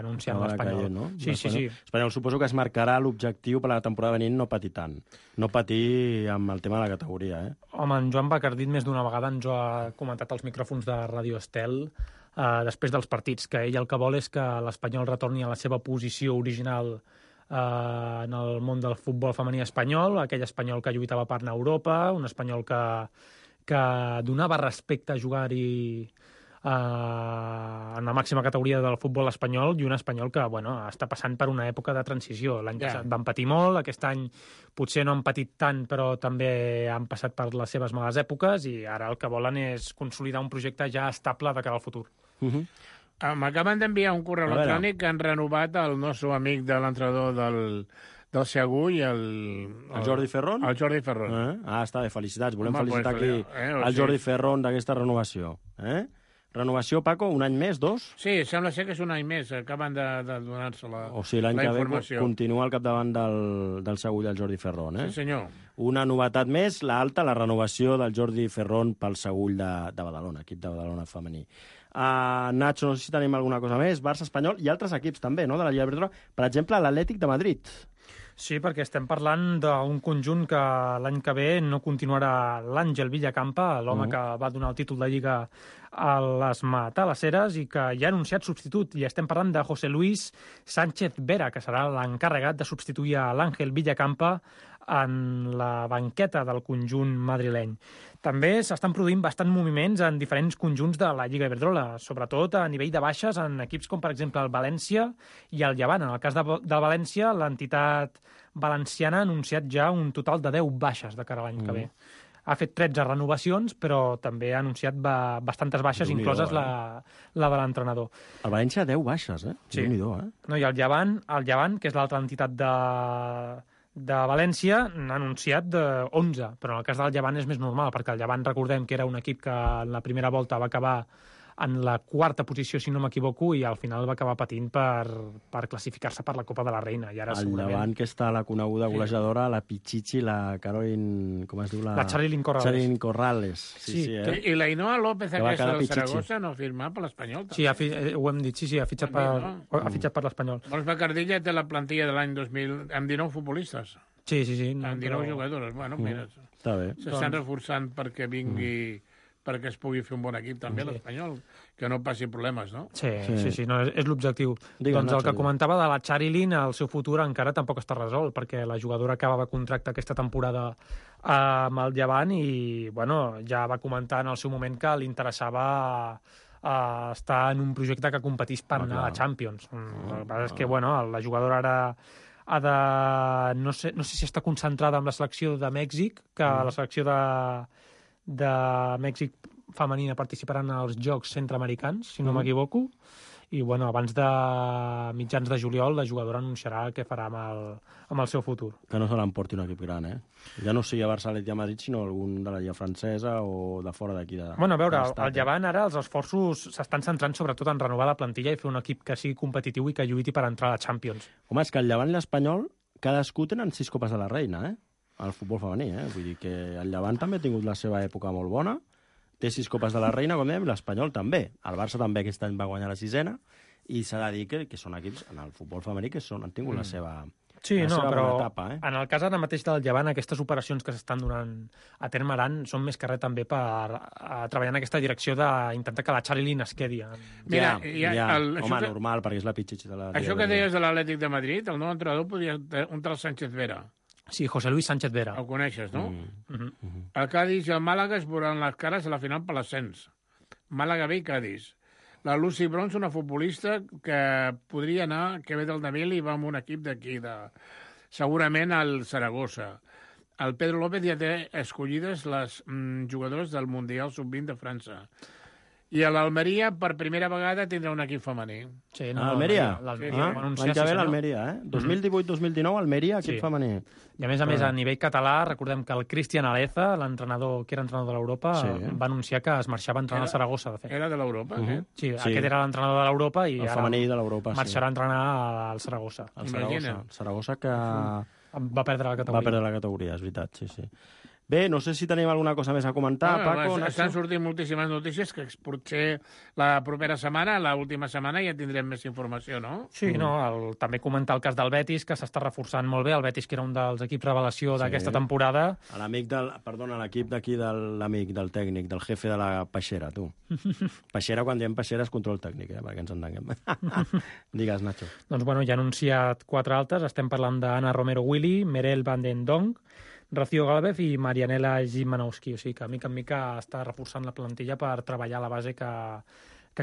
anunciant l'Espanyol. Caient, no? Sí. L'Espanyol suposo que es marcarà l'objectiu per a la temporada venint no patir tant. No patir amb el tema de la categoria, Home, en Joan Bacardit més d'una vegada ens ho ha comentat als micròfons de Radio Estel després dels partits, que ell el que vol és que l'Espanyol retorni a la seva posició original en el món del futbol femení espanyol, aquell espanyol que lluitava per anar a Europa, un espanyol que donava respecte a jugar-hi en la màxima categoria del futbol espanyol, i un espanyol que està passant per una època de transició. L'any passat van patir molt, aquest any potser no han patit tant, però també han passat per les seves males èpoques, i ara el que volen és consolidar un projecte ja estable de cara al futur. M'acaben d'enviar un correu electrònic que han renovat el nostre amic de l'entrenador del Segur i el Jordi Ferron? El Jordi Ferron. Està bé, felicitats. Volem felicitar aquí el Jordi Ferron d'aquesta renovació. Renovació, Paco, un any més, 2? Sí, sembla ser que és un any més. Acaben de donar-se la informació. O sigui, l'any que ve continua al capdavant del Segur i el Jordi Ferron, Sí, senyor. Una novetat més, la renovació del Jordi Ferron pel Segur de Badalona, equip de Badalona femení. Nacho, no sé si tenim alguna cosa més. Barça, Espanyol i altres equips també, no?, de la Lliga Iberdrola. Per exemple, l'Atlètic de Madrid. Sí, perquè estem parlant d'un conjunt que l'any que ve no continuarà l'Àngel Villacampa, l'home que va donar el títol de Lliga a les Matalasseres i que ja ha anunciat substitut. I estem parlant de José Luis Sánchez Vera, que serà l'encarregat de substituir a l'Àngel Villacampa en la banqueta del conjunt madrileny. També s'estan produint bastants moviments en diferents conjunts de la Lliga Iberdrola, sobretot a nivell de baixes en equips com, per exemple, el València i el Llevant. En el cas del València, l'entitat valenciana ha anunciat ja un total de 10 baixes de cara a l'any que ve. Ha fet 13 renovacions, però també ha anunciat bastantes baixes, incloses la de l'entrenador. El València 10 baixes, Sí. No, i el Llevant, que és l'altra entitat de València, n'ha anunciat 11, però en el cas del Llevant és més normal, perquè el Llevant, recordem que era un equip que en la primera volta va acabar en la 4a posició, si no m'equivoco, i al final va acabar patint per classificar-se per la Copa de la Reina. I ara, el Llevant, que està la coneguda golejadora, la Pichichi, la Caroline... Com es diu? La Charilyn Corrales. Charilyn Corrales. Sí. I la Ainhoa López, aquesta del Saragossa, no ha firmat per l'Espanyol. Sí, ho hem dit, ha fitxat per l'Espanyol. Doncs Bacardilla té la plantilla de l'any 2000 amb 19 futbolistes. Sí. Amb 19 jugadores. Bueno, mira, s'estan reforçant perquè vingui... perquè es pugui fer un bon equip també l'Espanyol, que no passi problemes, no? Sí, no, és l'objectiu. Doncs el que comentava de la Charilyn, el seu futur encara tampoc està resolt, perquè la jugadora acabava contracte aquesta temporada amb el Llevant i, ja va comentar en el seu moment que li interessava estar en un projecte que competís per anar a la Champions. El que passa és que, la jugadora ara ha de... No sé si està concentrada en la selecció de Mèxic, que la selecció de Mèxic femenina participaran als Jocs Centreamericans, si no m'equivoco, i abans de mitjans de juliol la jugadora anunciarà què farà amb el seu futur. Que no se l'emporti un equip gran, Ja no sigui a Barça i a Madrid, sinó algun de la Lliga francesa o de fora d'aquí. A veure, al Llevant ara els esforços s'estan centrant sobretot en renovar la plantilla i fer un equip que sigui competitiu i que lluiti per entrar a la Champions. Home, és que el Llevant i l'Espanyol cadascú tenen 6 copes de la Reina, al futbol femení, Vull dir que el Llevant també ha tingut la seva època molt bona, té 6 copes de la Reina, com dèiem, l'Espanyol també. El Barça també aquest any va guanyar la 6ena, i s'ha de dir que són equips en el futbol femení que han tingut la seva però etapa, en el cas ara mateix del Llevant, aquestes operacions que s'estan donant a terme ara són més que res també per treballar en aquesta direcció d'intentar que la Charilyn es quedi. Mira, normal, perquè és la pitxitxa de la... Això que deies de l'Atlètic de Madrid, el nou entrenador podria un tal Sánchez Vera. Sí, José Luis Sánchez Vera. El coneixes, no? El Cádiz i el Màlaga es veuran les cares a la final per l'ascens. Màlaga B i Cádiz. La Lucy Bronze, una futbolista que podria anar, que ve del Navil i va amb un equip d'aquí, segurament al Saragossa. El Pedro López ja té escollides les jugadors del Mundial Sub-20 de França. I a l'Almeria, per primera vegada, tindrà un equip femení. Sí, Almeria? L'any L'any que ve l'Almeria, 2018-2019, Almeria, equip femení. I a més, a nivell català, recordem que el Cristian Aleza, l'entrenador que era entrenador de l'Europa, va anunciar que es marxava a entrenar al Saragossa, de fet. Era de l'Europa, Sí, aquest era l'entrenador de l'Europa i el femení de l'Europa, marxarà a entrenar al Saragossa. El Saragossa que... Va perdre la categoria. Va perdre la categoria, és veritat, sí. Bé, no sé si tenim alguna cosa més a comentar, Paco. Estan sortint moltíssimes notícies que potser la propera setmana, l'última setmana, ja tindrem més informació, no? Sí, també comentar el cas del Betis, que s'està reforçant molt bé. El Betis, que era un dels equips revelació d'aquesta temporada. L'equip d'aquí de l'amic, del tècnic, del jefe de la peixera, tu. Peixera, quan diem peixera, és control tècnic, perquè ens entenguem. Digues, Nacho. Doncs, ja ha anunciat 4 altes. Estem parlant d'Anna Romero Willy, Merel Van den Dong, Rocío Galvez i Marianela Gimanowski. O sigui que, mica en mica, està reforçant la plantilla per treballar a la base que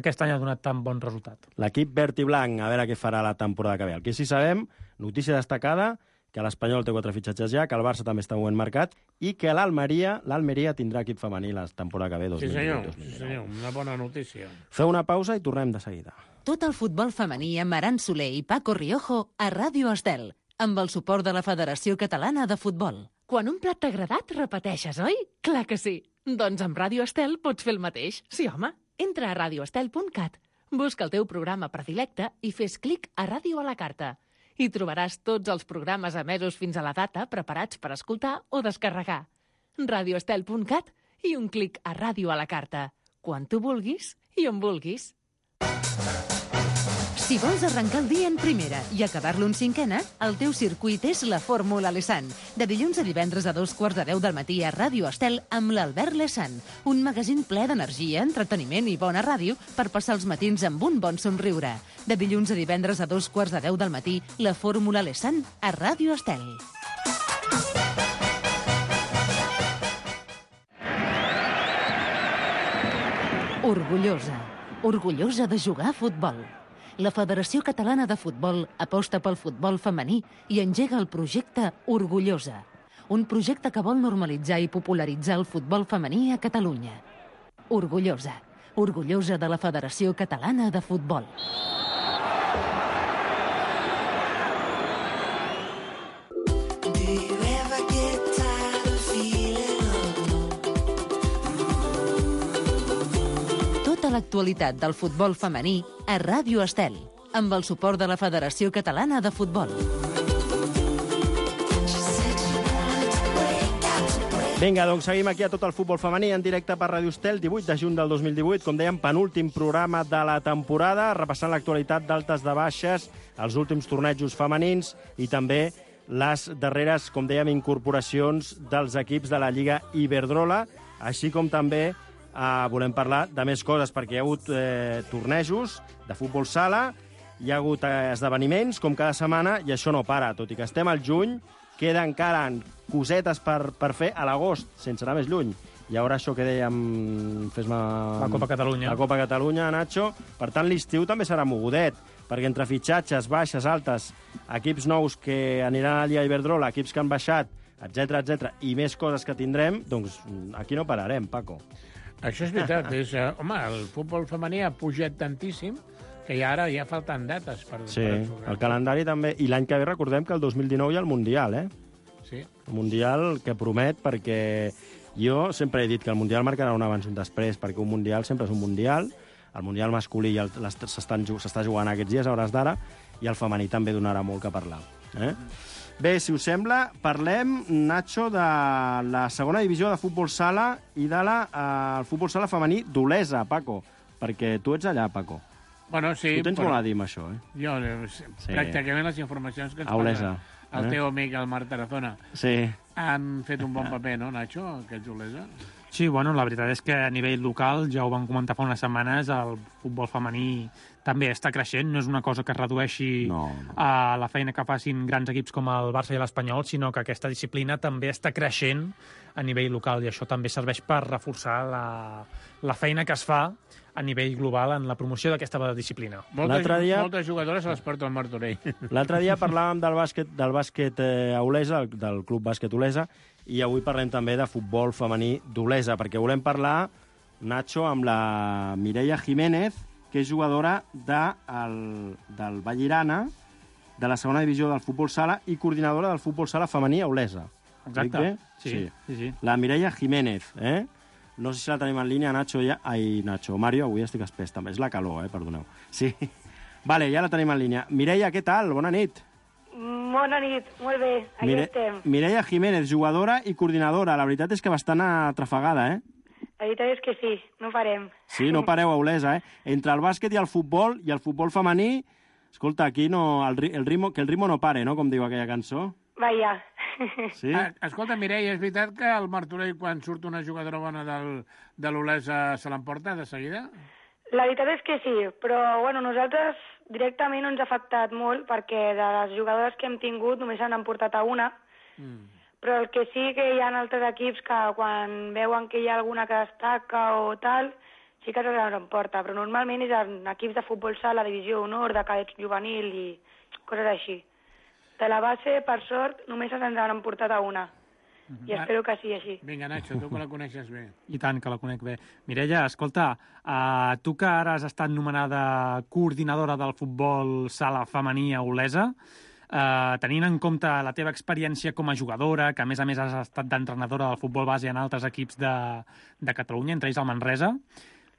aquest any ha donat tan bon resultat. L'equip verd i blanc, a veure què farà la temporada que ve. El que sí sabem, notícia destacada, que l'Espanyol té 4 fitxatges ja, que el Barça també està en moment marcat i que l'Almeria tindrà equip femení la temporada que ve, 2018-2019. Sí, senyor, una bona notícia. Feu una pausa i tornem de seguida. Tot el futbol femení amb Aran Soler i Paco Riojo a Ràdio Estel, amb el suport de la Federació Catalana de Futbol. Quan un plat t'ha agradat, repeteixes, oi? Clar que sí. Doncs amb Ràdio Estel pots fer el mateix. Sí, home. Entra a radioestel.cat, busca el teu programa predilecte i fes clic a Ràdio a la carta. Hi trobaràs tots els programes emesos fins a la data preparats per escoltar o descarregar. radioestel.cat i un clic a Ràdio a la carta. Quan tu vulguis i on vulguis. Si vols arrencar el dia en primera i acabar-lo en cinquena, el teu circuit és la Fórmula Lesan. De dilluns a divendres a 2:45 del matí a Ràdio Estel amb l'Albert Lesan. Un magazín ple d'energia, entreteniment i bona ràdio per passar els matins amb un bon somriure. De dilluns a divendres a 2:45 del matí, la Fórmula Lesan a Ràdio Estel. Orgullosa de jugar a futbol. La Federació Catalana de Futbol aposta pel futbol femení i engega el projecte Orgullosa, un projecte que vol normalitzar i popularitzar el futbol femení a Catalunya. Orgullosa de la Federació Catalana de Futbol. L'actualitat del futbol femení a Ràdio Estel, amb el suport de la Federació Catalana de Futbol. Vinga, doncs seguim aquí a tot el futbol femení en directe per Ràdio Estel, 18 de juny del 2018, com dèiem, penúltim programa de la temporada, repassant l'actualitat d'altes de baixes, els últims tornejos femenins i també les darreres, com dèiem, incorporacions dels equips de la Lliga Iberdrola, així com també volem parlar de més coses, perquè hi ha hagut tornejos de futbol sala, hi ha hagut esdeveniments, com cada setmana, i això no para. Tot i que estem al juny, queda encara cosetes per fer a l'agost, sense anar més lluny. Hi haurà això que dèiem... La Copa Catalunya. La Copa Catalunya, Nacho. Per tant, l'estiu també serà mogudet, perquè entre fitxatges, baixes, altes, equips nous que aniran a la Lliga Iberdrola, equips que han baixat, etc i més coses que tindrem, doncs aquí no pararem, Paco. Això és veritat. Home, el futbol femení ha pujat tantíssim que ara ja falten dates per jugar. El calendari també. I l'any que ve recordem que el 2019 hi ha el Mundial, Sí. El Mundial que promet, perquè jo sempre he dit que el Mundial marcarà un abans i un després, perquè un Mundial sempre és un Mundial. El Mundial masculí s'està jugant aquests dies, a hores d'ara, i el femení també donarà molt que parlar. Bé, si us sembla, parlem, Nacho, de la segona divisió de futbol sala i de el futbol sala femení d'Olesa, Paco, perquè tu ets allà, Paco. Bueno, sí. Tu tens molt a dir amb això, Jo, pràcticament les informacions que ens parla el teu amic, el Marc Tarazona, sí, han fet un bon paper, no, Nacho, aquests Olesa? Sí, la veritat és que a nivell local, ja ho vam comentar fa unes setmanes, el futbol femení també està creixent, no és una cosa que es redueixi a la feina que facin grans equips com el Barça i l'Espanyol, sinó que aquesta disciplina també està creixent a nivell local i això també serveix per reforçar la feina que es fa a nivell global en la promoció d'aquesta disciplina. Moltes jugadores se les porta el Martorell. L'altre dia parlàvem del bàsquet a Olesa, del Club Bàsquet Olesa, i avui parlem també de futbol femení d'Olesa, perquè volem parlar, Nacho, amb la Mireia Jiménez, que és jugadora del Vallirana, de la segona divisió del futbol sala i coordinadora del futbol sala femení a Olesa. Exacte. Sí. La Mireia Jiménez, No sé si la tenim en línia, Nacho, ja... Ai, Nacho, Mario, avui estic espès també. És la calor, perdoneu. Sí. Vale, ja la tenim en línia. Mireia, què tal? Bona nit. Bona nit, molt bé, aquí estem. Mireia Jiménez, jugadora i coordinadora. La veritat és que bastant atrafegada, La veritat és que sí, no parem. Sí, no pareu a Olesa, Entre el bàsquet i el futbol femení, escolta, aquí no, que el ritmo no pare, no?, com diu aquella cançó. Vaja. Sí? Escolta, Mireia, és veritat que el Martorell, quan surt una jugadora bona de l'Olesa, se l'emporta de seguida? La veritat és que sí, però bueno, nosaltres directament no ens ha afectat molt perquè de les jugadores que hem tingut només han portat a una, però el que sí que hi ha altres equips que quan veuen que hi ha alguna que destaca o tal, sí que se l'emporta, però normalment és en equips de futbol sala, divisió honor, de cadets juvenil i coses així. De la base, per sort, només ens han emportat a una. I espero que sigui així. Vinga, Nacho, tu que la coneixes bé. I tant, que la conec bé. Mireia, escolta, tu que ara has estat nomenada coordinadora del futbol sala femení a Olesa, tenint en compte la teva experiència com a jugadora, que a més has estat d'entrenadora del futbol base en altres equips de Catalunya, entre ells el Manresa,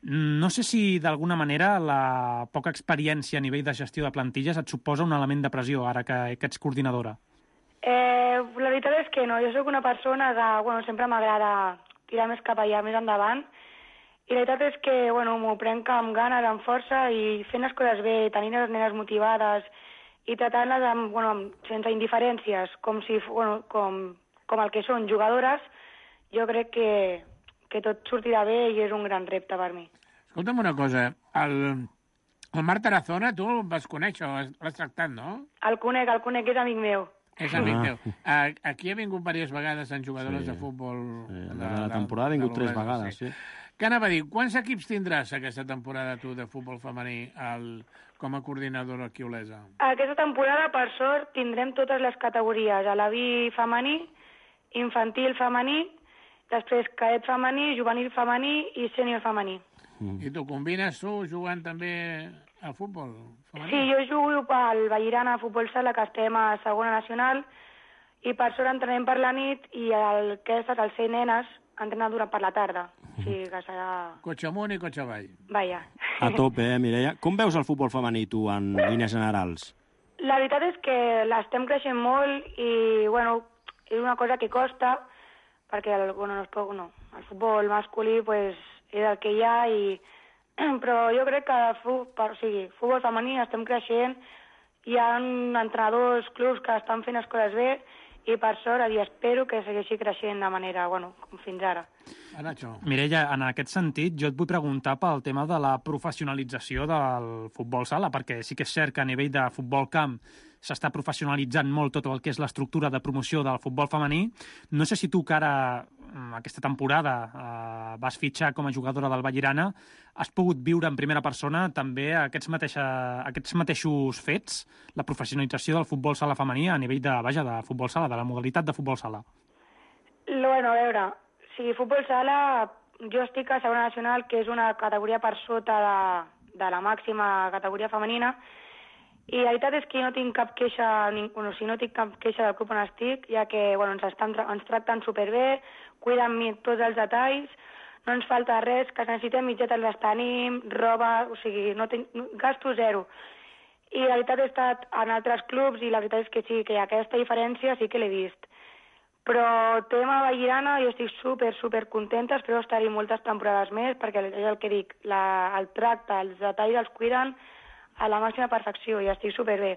no sé si d'alguna manera la poca experiència a nivell de gestió de plantilles et suposa un element de pressió ara que ets coordinadora. La veritat és que no, jo sóc una persona que sempre m'agrada tirar més cap allà, més endavant, i la veritat és que m'ho prenc amb ganes, amb força, i fent les coses bé, tenint les nenes motivades i tratant-les sense indiferències, com el que són jugadores, jo crec que tot sortirà bé i és un gran repte per mi. Escolta'm una cosa, el Marc Tarazona tu el vas conèixer, l'has tractat, no? El conec, és amic meu. És amic teu. Aquí ha vingut diverses vegades en jugadores de futbol. La temporada ha vingut 3 vegades, sí. Què anava a dir? Quants equips tindràs aquesta temporada tu de futbol femení com a coordinadora aquí a Olesa? Aquesta temporada, per sort, tindrem totes les categories. A l'AVI femení, infantil femení, després cadet femení, juvenil femení i sènior femení. I tu combines tu jugant també al futbol femení? Sí, jo jugo pel Vallirana Futbol Sala, que estem a segona nacional, i per sort entrenem per la nit i el C nenes entrenen durant per la tarda. O sigui que serà... Cotxe amunt i cotxe avall. Vaja. A tope, Mireia. Com veus el futbol femení, tu, en línies generals? La veritat és que l'estem creixent molt i, és una cosa que costa, perquè el futbol masculí és el que hi ha, però jo crec que futbol femení estem creixent, hi ha entrenadors, clubs que estan fent les coses bé, i per sort, i espero que segueixi creixent de manera, com fins ara. Mireia, en aquest sentit, jo et vull preguntar pel tema de la professionalització del futbol sala, perquè sí que és cert que a nivell de futbol camp s'està professionalitzant molt tot el que és l'estructura de promoció del futbol femení. No sé si tu, que ara, aquesta temporada, vas fitxar com a jugadora del Vallirana, has pogut viure en primera persona també aquests mateixos fets, la professionalització del futbol sala femení a nivell de futbol sala, de la modalitat de futbol sala. A veure, futbol sala, jo estic a segona nacional, que és una categoria per sota de la màxima categoria femenina, i la veritat és que no tinc cap queixa, no tinc cap queixa del club on estic, ja que ens tracten superbé, cuiden tots els detalls, no ens falta res, que necessitem mitgetes les tenim, roba, gasto zero. I la veritat he estat en altres clubs i la veritat és que sí, que aquesta diferència sí que l'he vist. Però tema Vallirana, jo estic super contenta, espero estar-hi moltes temporades més, perquè és el que dic, el tracte, els detalls els cuiden a la màxima perfecció i estic superbé.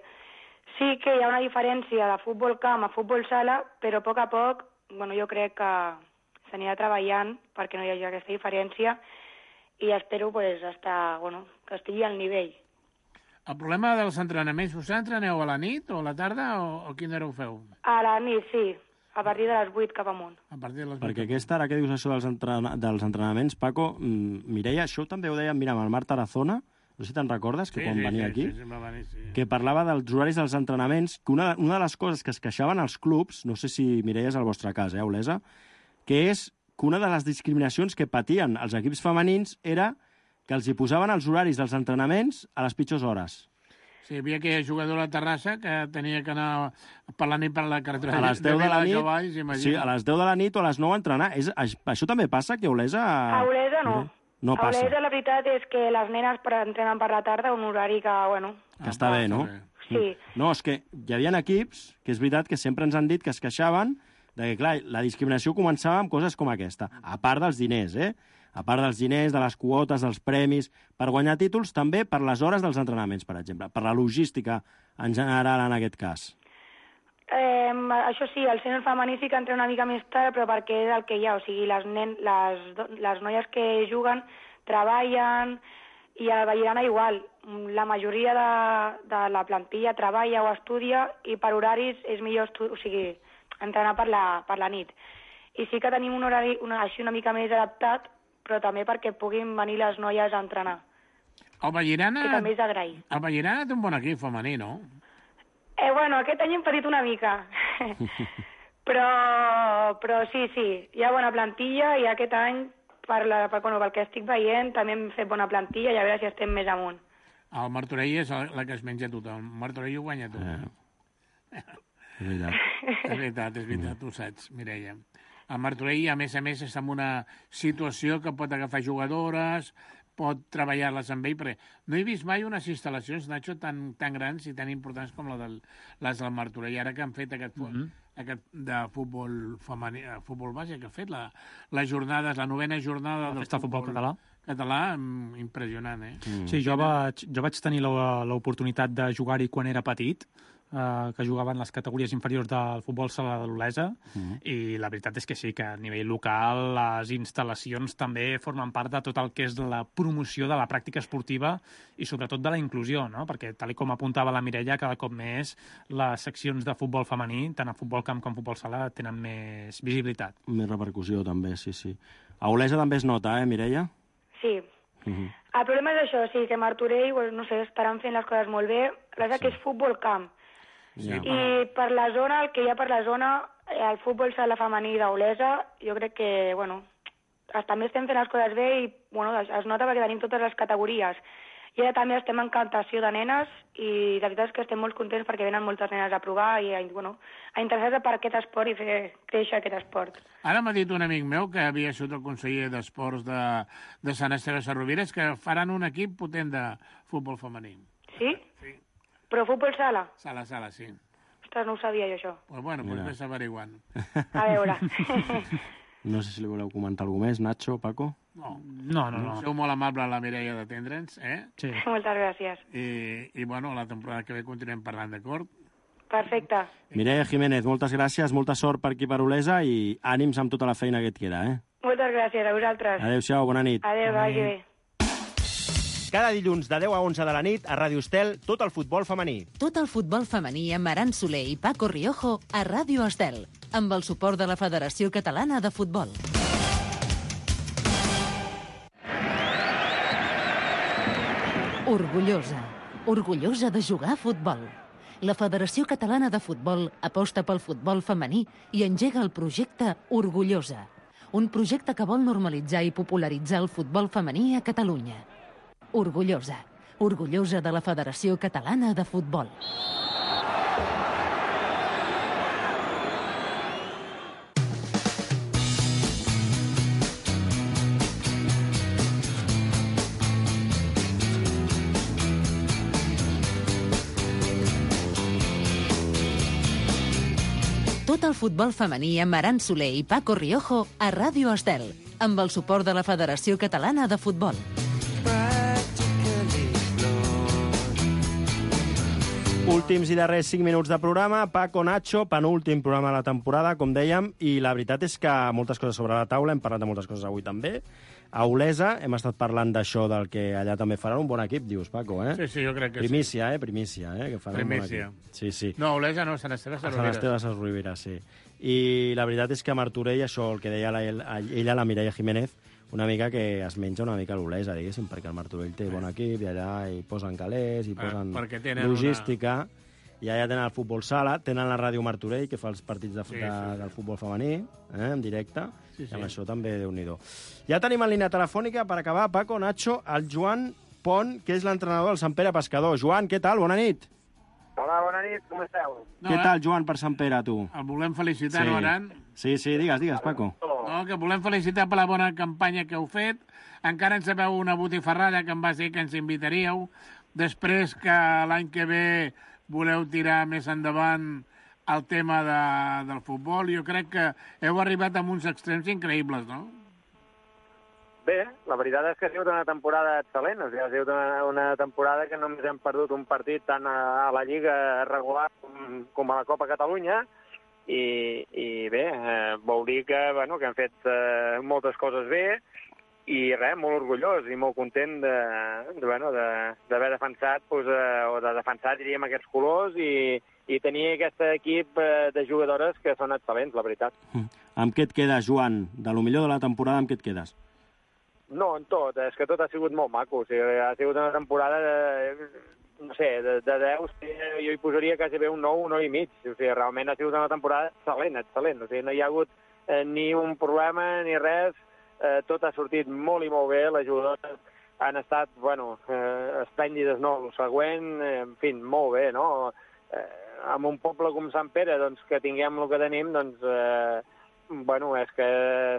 Sí que hi ha una diferència de futbol camp a futbol sala, però a poc, jo crec que s'anirà treballant perquè no hi hagi aquesta diferència i espero que estigui al nivell. El problema dels entrenaments, us entreneu a la nit o a la tarda o a quina hora ho feu? A la nit, sí. a partir de les 8 cap amunt. A partir de les 8. Perquè aquesta, ara que dius això dels entrenaments, Paco, Mireia, això també ho deia, mira, amb el Marc Tarazona, no sé si te'n recordes, que quan venia aquí, que parlava dels horaris dels entrenaments, que una de les coses que es queixaven als clubs, no sé si Mireia és el vostre cas, Olesa, que és que una de les discriminacions que patien els equips femenins era que els hi posaven els horaris dels entrenaments a les pitjors hores. Sí, hi havia aquella jugadora a Terrassa que tenia que anar per la nit per la carretera. A les 10 de la nit, Cavalls, sí, a les 10 de la nit o a les 9 a entrenar. Això també passa, que a Olesa... A Olesa no. No passa. A Olesa la veritat és que les nenes entrenen per la tarda, un horari que, bueno... Que està bé, no? Sí. No, és que hi havia equips, que és veritat que sempre ens han dit que es queixaven de que, clar, la discriminació començava amb coses com aquesta, a part dels diners, a part dels diners, de les quotes, dels premis, per guanyar títols, també per les hores dels entrenaments, per exemple, per la logística en general en aquest cas. Això sí, el sènior femení sí que entra una mica més tard, però perquè és el que hi ha, o sigui, les noies que juguen treballen i a la Vallirana igual. La majoria de la plantilla treballa o estudia i per horaris és millor entrenar per la nit. I sí que tenim un horari així una mica més adaptat, però també perquè puguin venir les noies a entrenar. El Vallirana... Que també és d'agrair. El Vallirana té un bon equip femení, no? Bueno, aquest any hem patit una mica. però sí, hi ha bona plantilla i aquest any, pel que estic veient, també hem fet bona plantilla i a veure si estem més amunt. El Martorell és la que es menja tothom. El Martorell ho guanya tot. És veritat, tu saps, Mireia. El Martorell, a més, està en una situació que pot agafar jugadores, pot treballar-les amb ell, perquè no he vist mai unes instal·lacions, Nacho, tan grans i tan importants com les del Martorell. Ara que han fet aquest de futbol femení, futbol base, que ha fet les jornades, la 9ª jornada del futbol català. Impressionant, Sí, jo vaig tenir l'oportunitat de jugar-hi quan era petit, que jugaven les categories inferiors del futbol sala de l'Olesa, i la veritat és que sí, que a nivell local les instal·lacions també formen part de tot el que és la promoció de la pràctica esportiva i sobretot de la inclusió, no? Perquè, tal com apuntava la Mireia, cada cop més les seccions de futbol femení, tant a futbol camp com a futbol sala, tenen més visibilitat. Més repercussió, també, sí. A Olesa també es nota, Mireia? Sí. El problema és això, sí, que Martorell, no sé, estaran fent les coses molt bé, però és que és futbol camp. I per la zona, el que hi ha per la zona, el futbol sala femení d'Olesa, jo crec que, també estem fent les coses bé i, es nota perquè tenim totes les categories. I ara també estem en captació de nenes i la veritat és que estem molt contents perquè venen moltes nenes a provar i a interessar-se per aquest esport i fer créixer aquest esport. Ara m'ha dit un amic meu que havia sigut el conseller d'Esports de Sant Esteve Sesrovires que faran un equip potent de futbol femení. Sí? Sí. Però futbol sala? Sala, sí. Ostres, no ho sabia jo, això. Doncs ves averiguant. A veure. No sé si li voleu comentar alguna més, Nacho, Paco? No. Sou molt amable a la Mireia d'atendre'ns, Sí. Moltes gràcies. I la temporada que ve continuem parlant, d'acord? Perfecte. Mireia Jiménez, moltes gràcies, molta sort per aquí per Olesa i ànims amb tota la feina que et queda, Moltes gràcies, a vosaltres. Adéu-siau, bona nit. Adéu, vagi bé. Cada dilluns de 10 a 11 de la nit a Ràdio Estel, tot el futbol femení. Tot el futbol femení amb Aran Soler i Paco Riojo a Ràdio Estel, amb el suport de la Federació Catalana de Futbol. Orgullosa de jugar a futbol. La Federació Catalana de Futbol aposta pel futbol femení i engega el projecte Orgullosa, un projecte que vol normalitzar i popularitzar el futbol femení a Catalunya. Orgullosa de la Federació Catalana de Futbol. Tot el futbol femení amb Aran Soler i Paco Riojo a Ràdio Estel, amb el suport de la Federació Catalana de Futbol. Últims i darrers 5 minuts de programa. Paco, Nacho, penúltim programa de la temporada, com dèiem, i la veritat és que moltes coses sobre la taula, hem parlat de moltes coses avui també. A Olesa hem estat parlant d'això, del que allà també faran un bon equip, dius, Paco, Sí, jo crec que Primícia, que faran Primícia. un bon equip. Sí. No, Olesa no, Sant Esteve Sesrovires. Sant Esteve Sesrovires, sí. I la veritat és que Martorell, això, el que deia ella, la Mireia Jiménez, una mica que es menja una mica l'Olesa, diguéssim, perquè el Martorell té bon equip i allà hi posen calés, hi posen logística, i allà tenen el futbol sala, tenen la ràdio Martorell, que fa els partits del futbol femení, en directe, i amb això també Déu-n'hi-do. Ja tenim en línia telefònica, per acabar, Paco, Nacho, el Joan Pont, que és l'entrenador del Sant Pere Pescador. Joan, què tal? Bona nit. Hola, bona nit, com esteu? Què tal, Joan, per Sant Pere, tu? El volem felicitar, no, Aran? Sí, digues, Paco. No, que volem felicitar per la bona campanya que heu fet. Encara en sabeu una botifarrada que em va dir que ens invitaríeu. Després que l'any que ve voleu tirar més endavant el tema del futbol. Jo crec que heu arribat a uns extrems increïbles, no? Bé, la veritat és que ha sigut una temporada excel·lent. O sigui, ha sigut una temporada que només hem perdut un partit tant a la Lliga regular com a la Copa Catalunya. I bé, vol dir que hem fet moltes coses bé i res, molt orgullós i molt content d'haver defensat, o de defensar, diríem, aquests colors i tenir aquest equip de jugadores que són excel·lents, la veritat. Amb què et quedes, Joan? De lo millor de la temporada, amb què et quedes? No, en tot. És que tot ha sigut molt maco. O sigui, ha sigut una temporada no sé, de 10, jo hi posaria quasi bé un 9, un 9 i mig. O sigui, realment ha sigut una temporada excel·lent. O sigui, no hi ha hagut ni un problema ni res. Tot ha sortit molt i molt bé. Les jugadores han estat, esplèndides, no? El següent, en fi, molt bé, no? Amb un poble com Sant Pere, doncs, que tinguem el que tenim, doncs, és que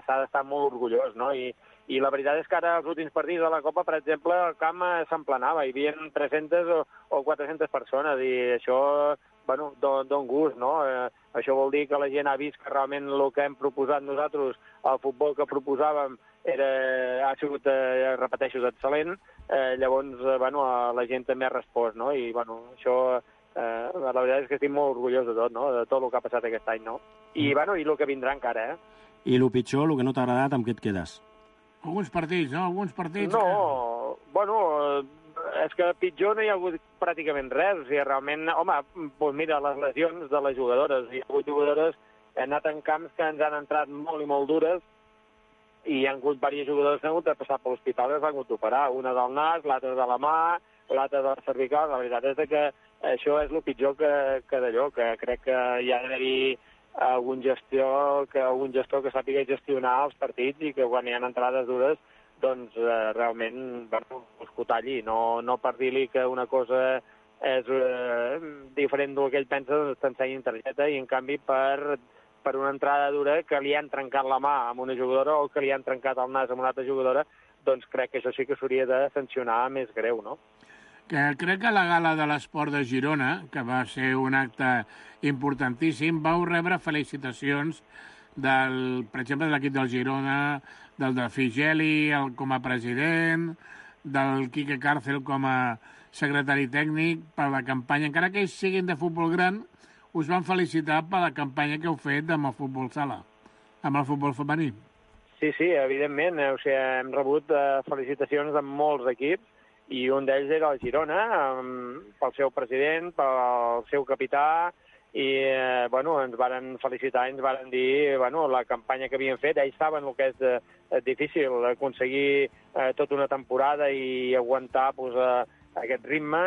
s'ha d'estar molt orgullós, no? I la veritat és que ara, els últims partits de la Copa, per exemple, el camp s'emplenava, hi havia 300 o 400 persones, i això, don gust, no? Això vol dir que la gent ha vist que realment el que hem proposat nosaltres, el futbol que proposàvem, ha sigut, repeteixo, excel·lent. Llavors, la gent també ha respost, no? I, això, la veritat és que estic molt orgullós de tot, no? De tot el que ha passat aquest any, no? I el que vindrà encara, I el pitjor, el que no t'ha agradat, amb què et quedes? Alguns partits, no? Alguns partits... No, és que pitjor no hi ha hagut pràcticament res. O sigui, realment, doncs mira, les lesions de les jugadores. Hi ha hagut jugadores, hem anat en camps que ens han entrat molt i molt dures, i hi ha hagut diversos jugadors que han hagut de passar per l'hospital i s'han hagut d'operar. Una del nas, l'altra de la mà, l'altra de la cervical. La veritat és que això és el pitjor que d'allò, que crec que hi ha d'haver-hi algun gestor que sàpiga gestionar els partits i que quan hi ha entrades dures doncs realment ho talli, no per dir-li que una cosa és diferent del que ell pensa, doncs t'ensenyin targeta, i en canvi per una entrada dura que li han trencat la mà amb una jugadora o que li han trencat el nas amb una altra jugadora, doncs crec que això sí que s'hauria de sancionar més greu, no? Crec que la gala de l'esport de Girona, que va ser un acte importantíssim, vau rebre felicitacions per exemple, de l'equip del Girona, del de Figeli com a president, del Quique Cárcel com a secretari tècnic, per la campanya. Encara que ells siguin de futbol gran, us van felicitar per la campanya que heu fet amb el futbol sala, amb el futbol femení. Sí, evidentment. O sigui, hem rebut felicitacions de molts equips, i un d'ells era el Girona, pel seu president, pel seu capità, i ens varen felicitar i ens varen dir la campanya que havien fet. Ells saben el que és difícil, aconseguir tota una temporada i aguantar aquest ritme,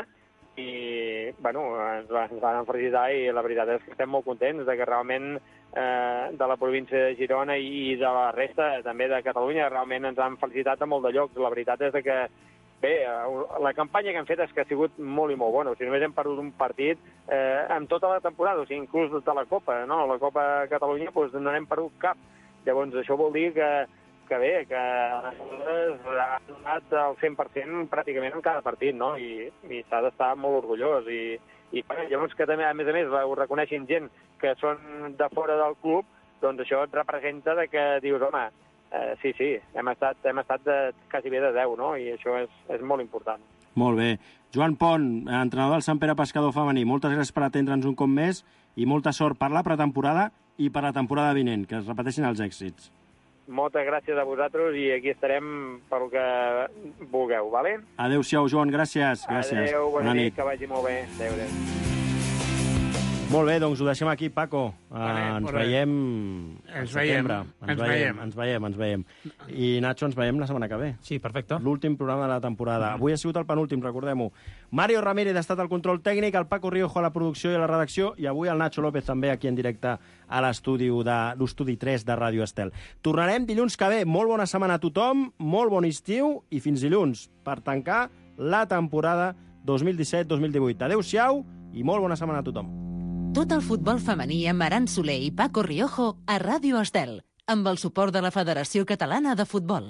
i ens van felicitar, i la veritat és que estem molt contents de que realment de la província de Girona i de la resta també de Catalunya realment ens han felicitat a molt de llocs. La veritat és que bé, la campanya que hem fet és que ha sigut molt i molt bona. O sigui, només hem perdut un partit en tota la temporada, o sigui, inclús de la Copa, no? La Copa Catalunya doncs no n'hem perdut cap. Llavors, això vol dir que bé, que les han donat el 100% pràcticament en cada partit, no? I s'ha d'estar molt orgullós. I llavors que també, a més ho reconeixin gent que són de fora del club, doncs això et representa que dius, home, sí, hem estat quasi bé de 10, no? I això és molt important. Molt bé. Joan Pont, entrenador del Sant Pere Pescador femení, moltes gràcies per atendre'ns un cop més i molta sort per la pretemporada i per la temporada vinent, que es repeteixin els èxits. Moltes gràcies a vosaltres i aquí estarem pel que vulgueu, vale? Adéu-siau, Joan, gràcies. Adéu, bona nit, que vagi molt bé. Adéu. Molt bé, doncs ho deixem aquí, Paco. Ens veiem al setembre. Ens veiem. I Nacho, ens veiem la setmana que ve. Sí, perfecte. L'últim programa de la temporada. Avui ha sigut el penúltim, recordem-ho. Mario Ramírez ha estat al control tècnic, el Paco Riojo a la producció i a la redacció, i avui el Nacho López també aquí en directe a l'estudi 3 de Ràdio Estel. Tornarem dilluns que ve. Molt bona setmana a tothom, molt bon estiu i fins dilluns per tancar la temporada 2017-2018. Adéu-siau i molt bona setmana a tothom. Tot el futbol femení amb Aran Soler i Paco Riojo a Ràdio Estel, amb el suport de la Federació Catalana de Futbol.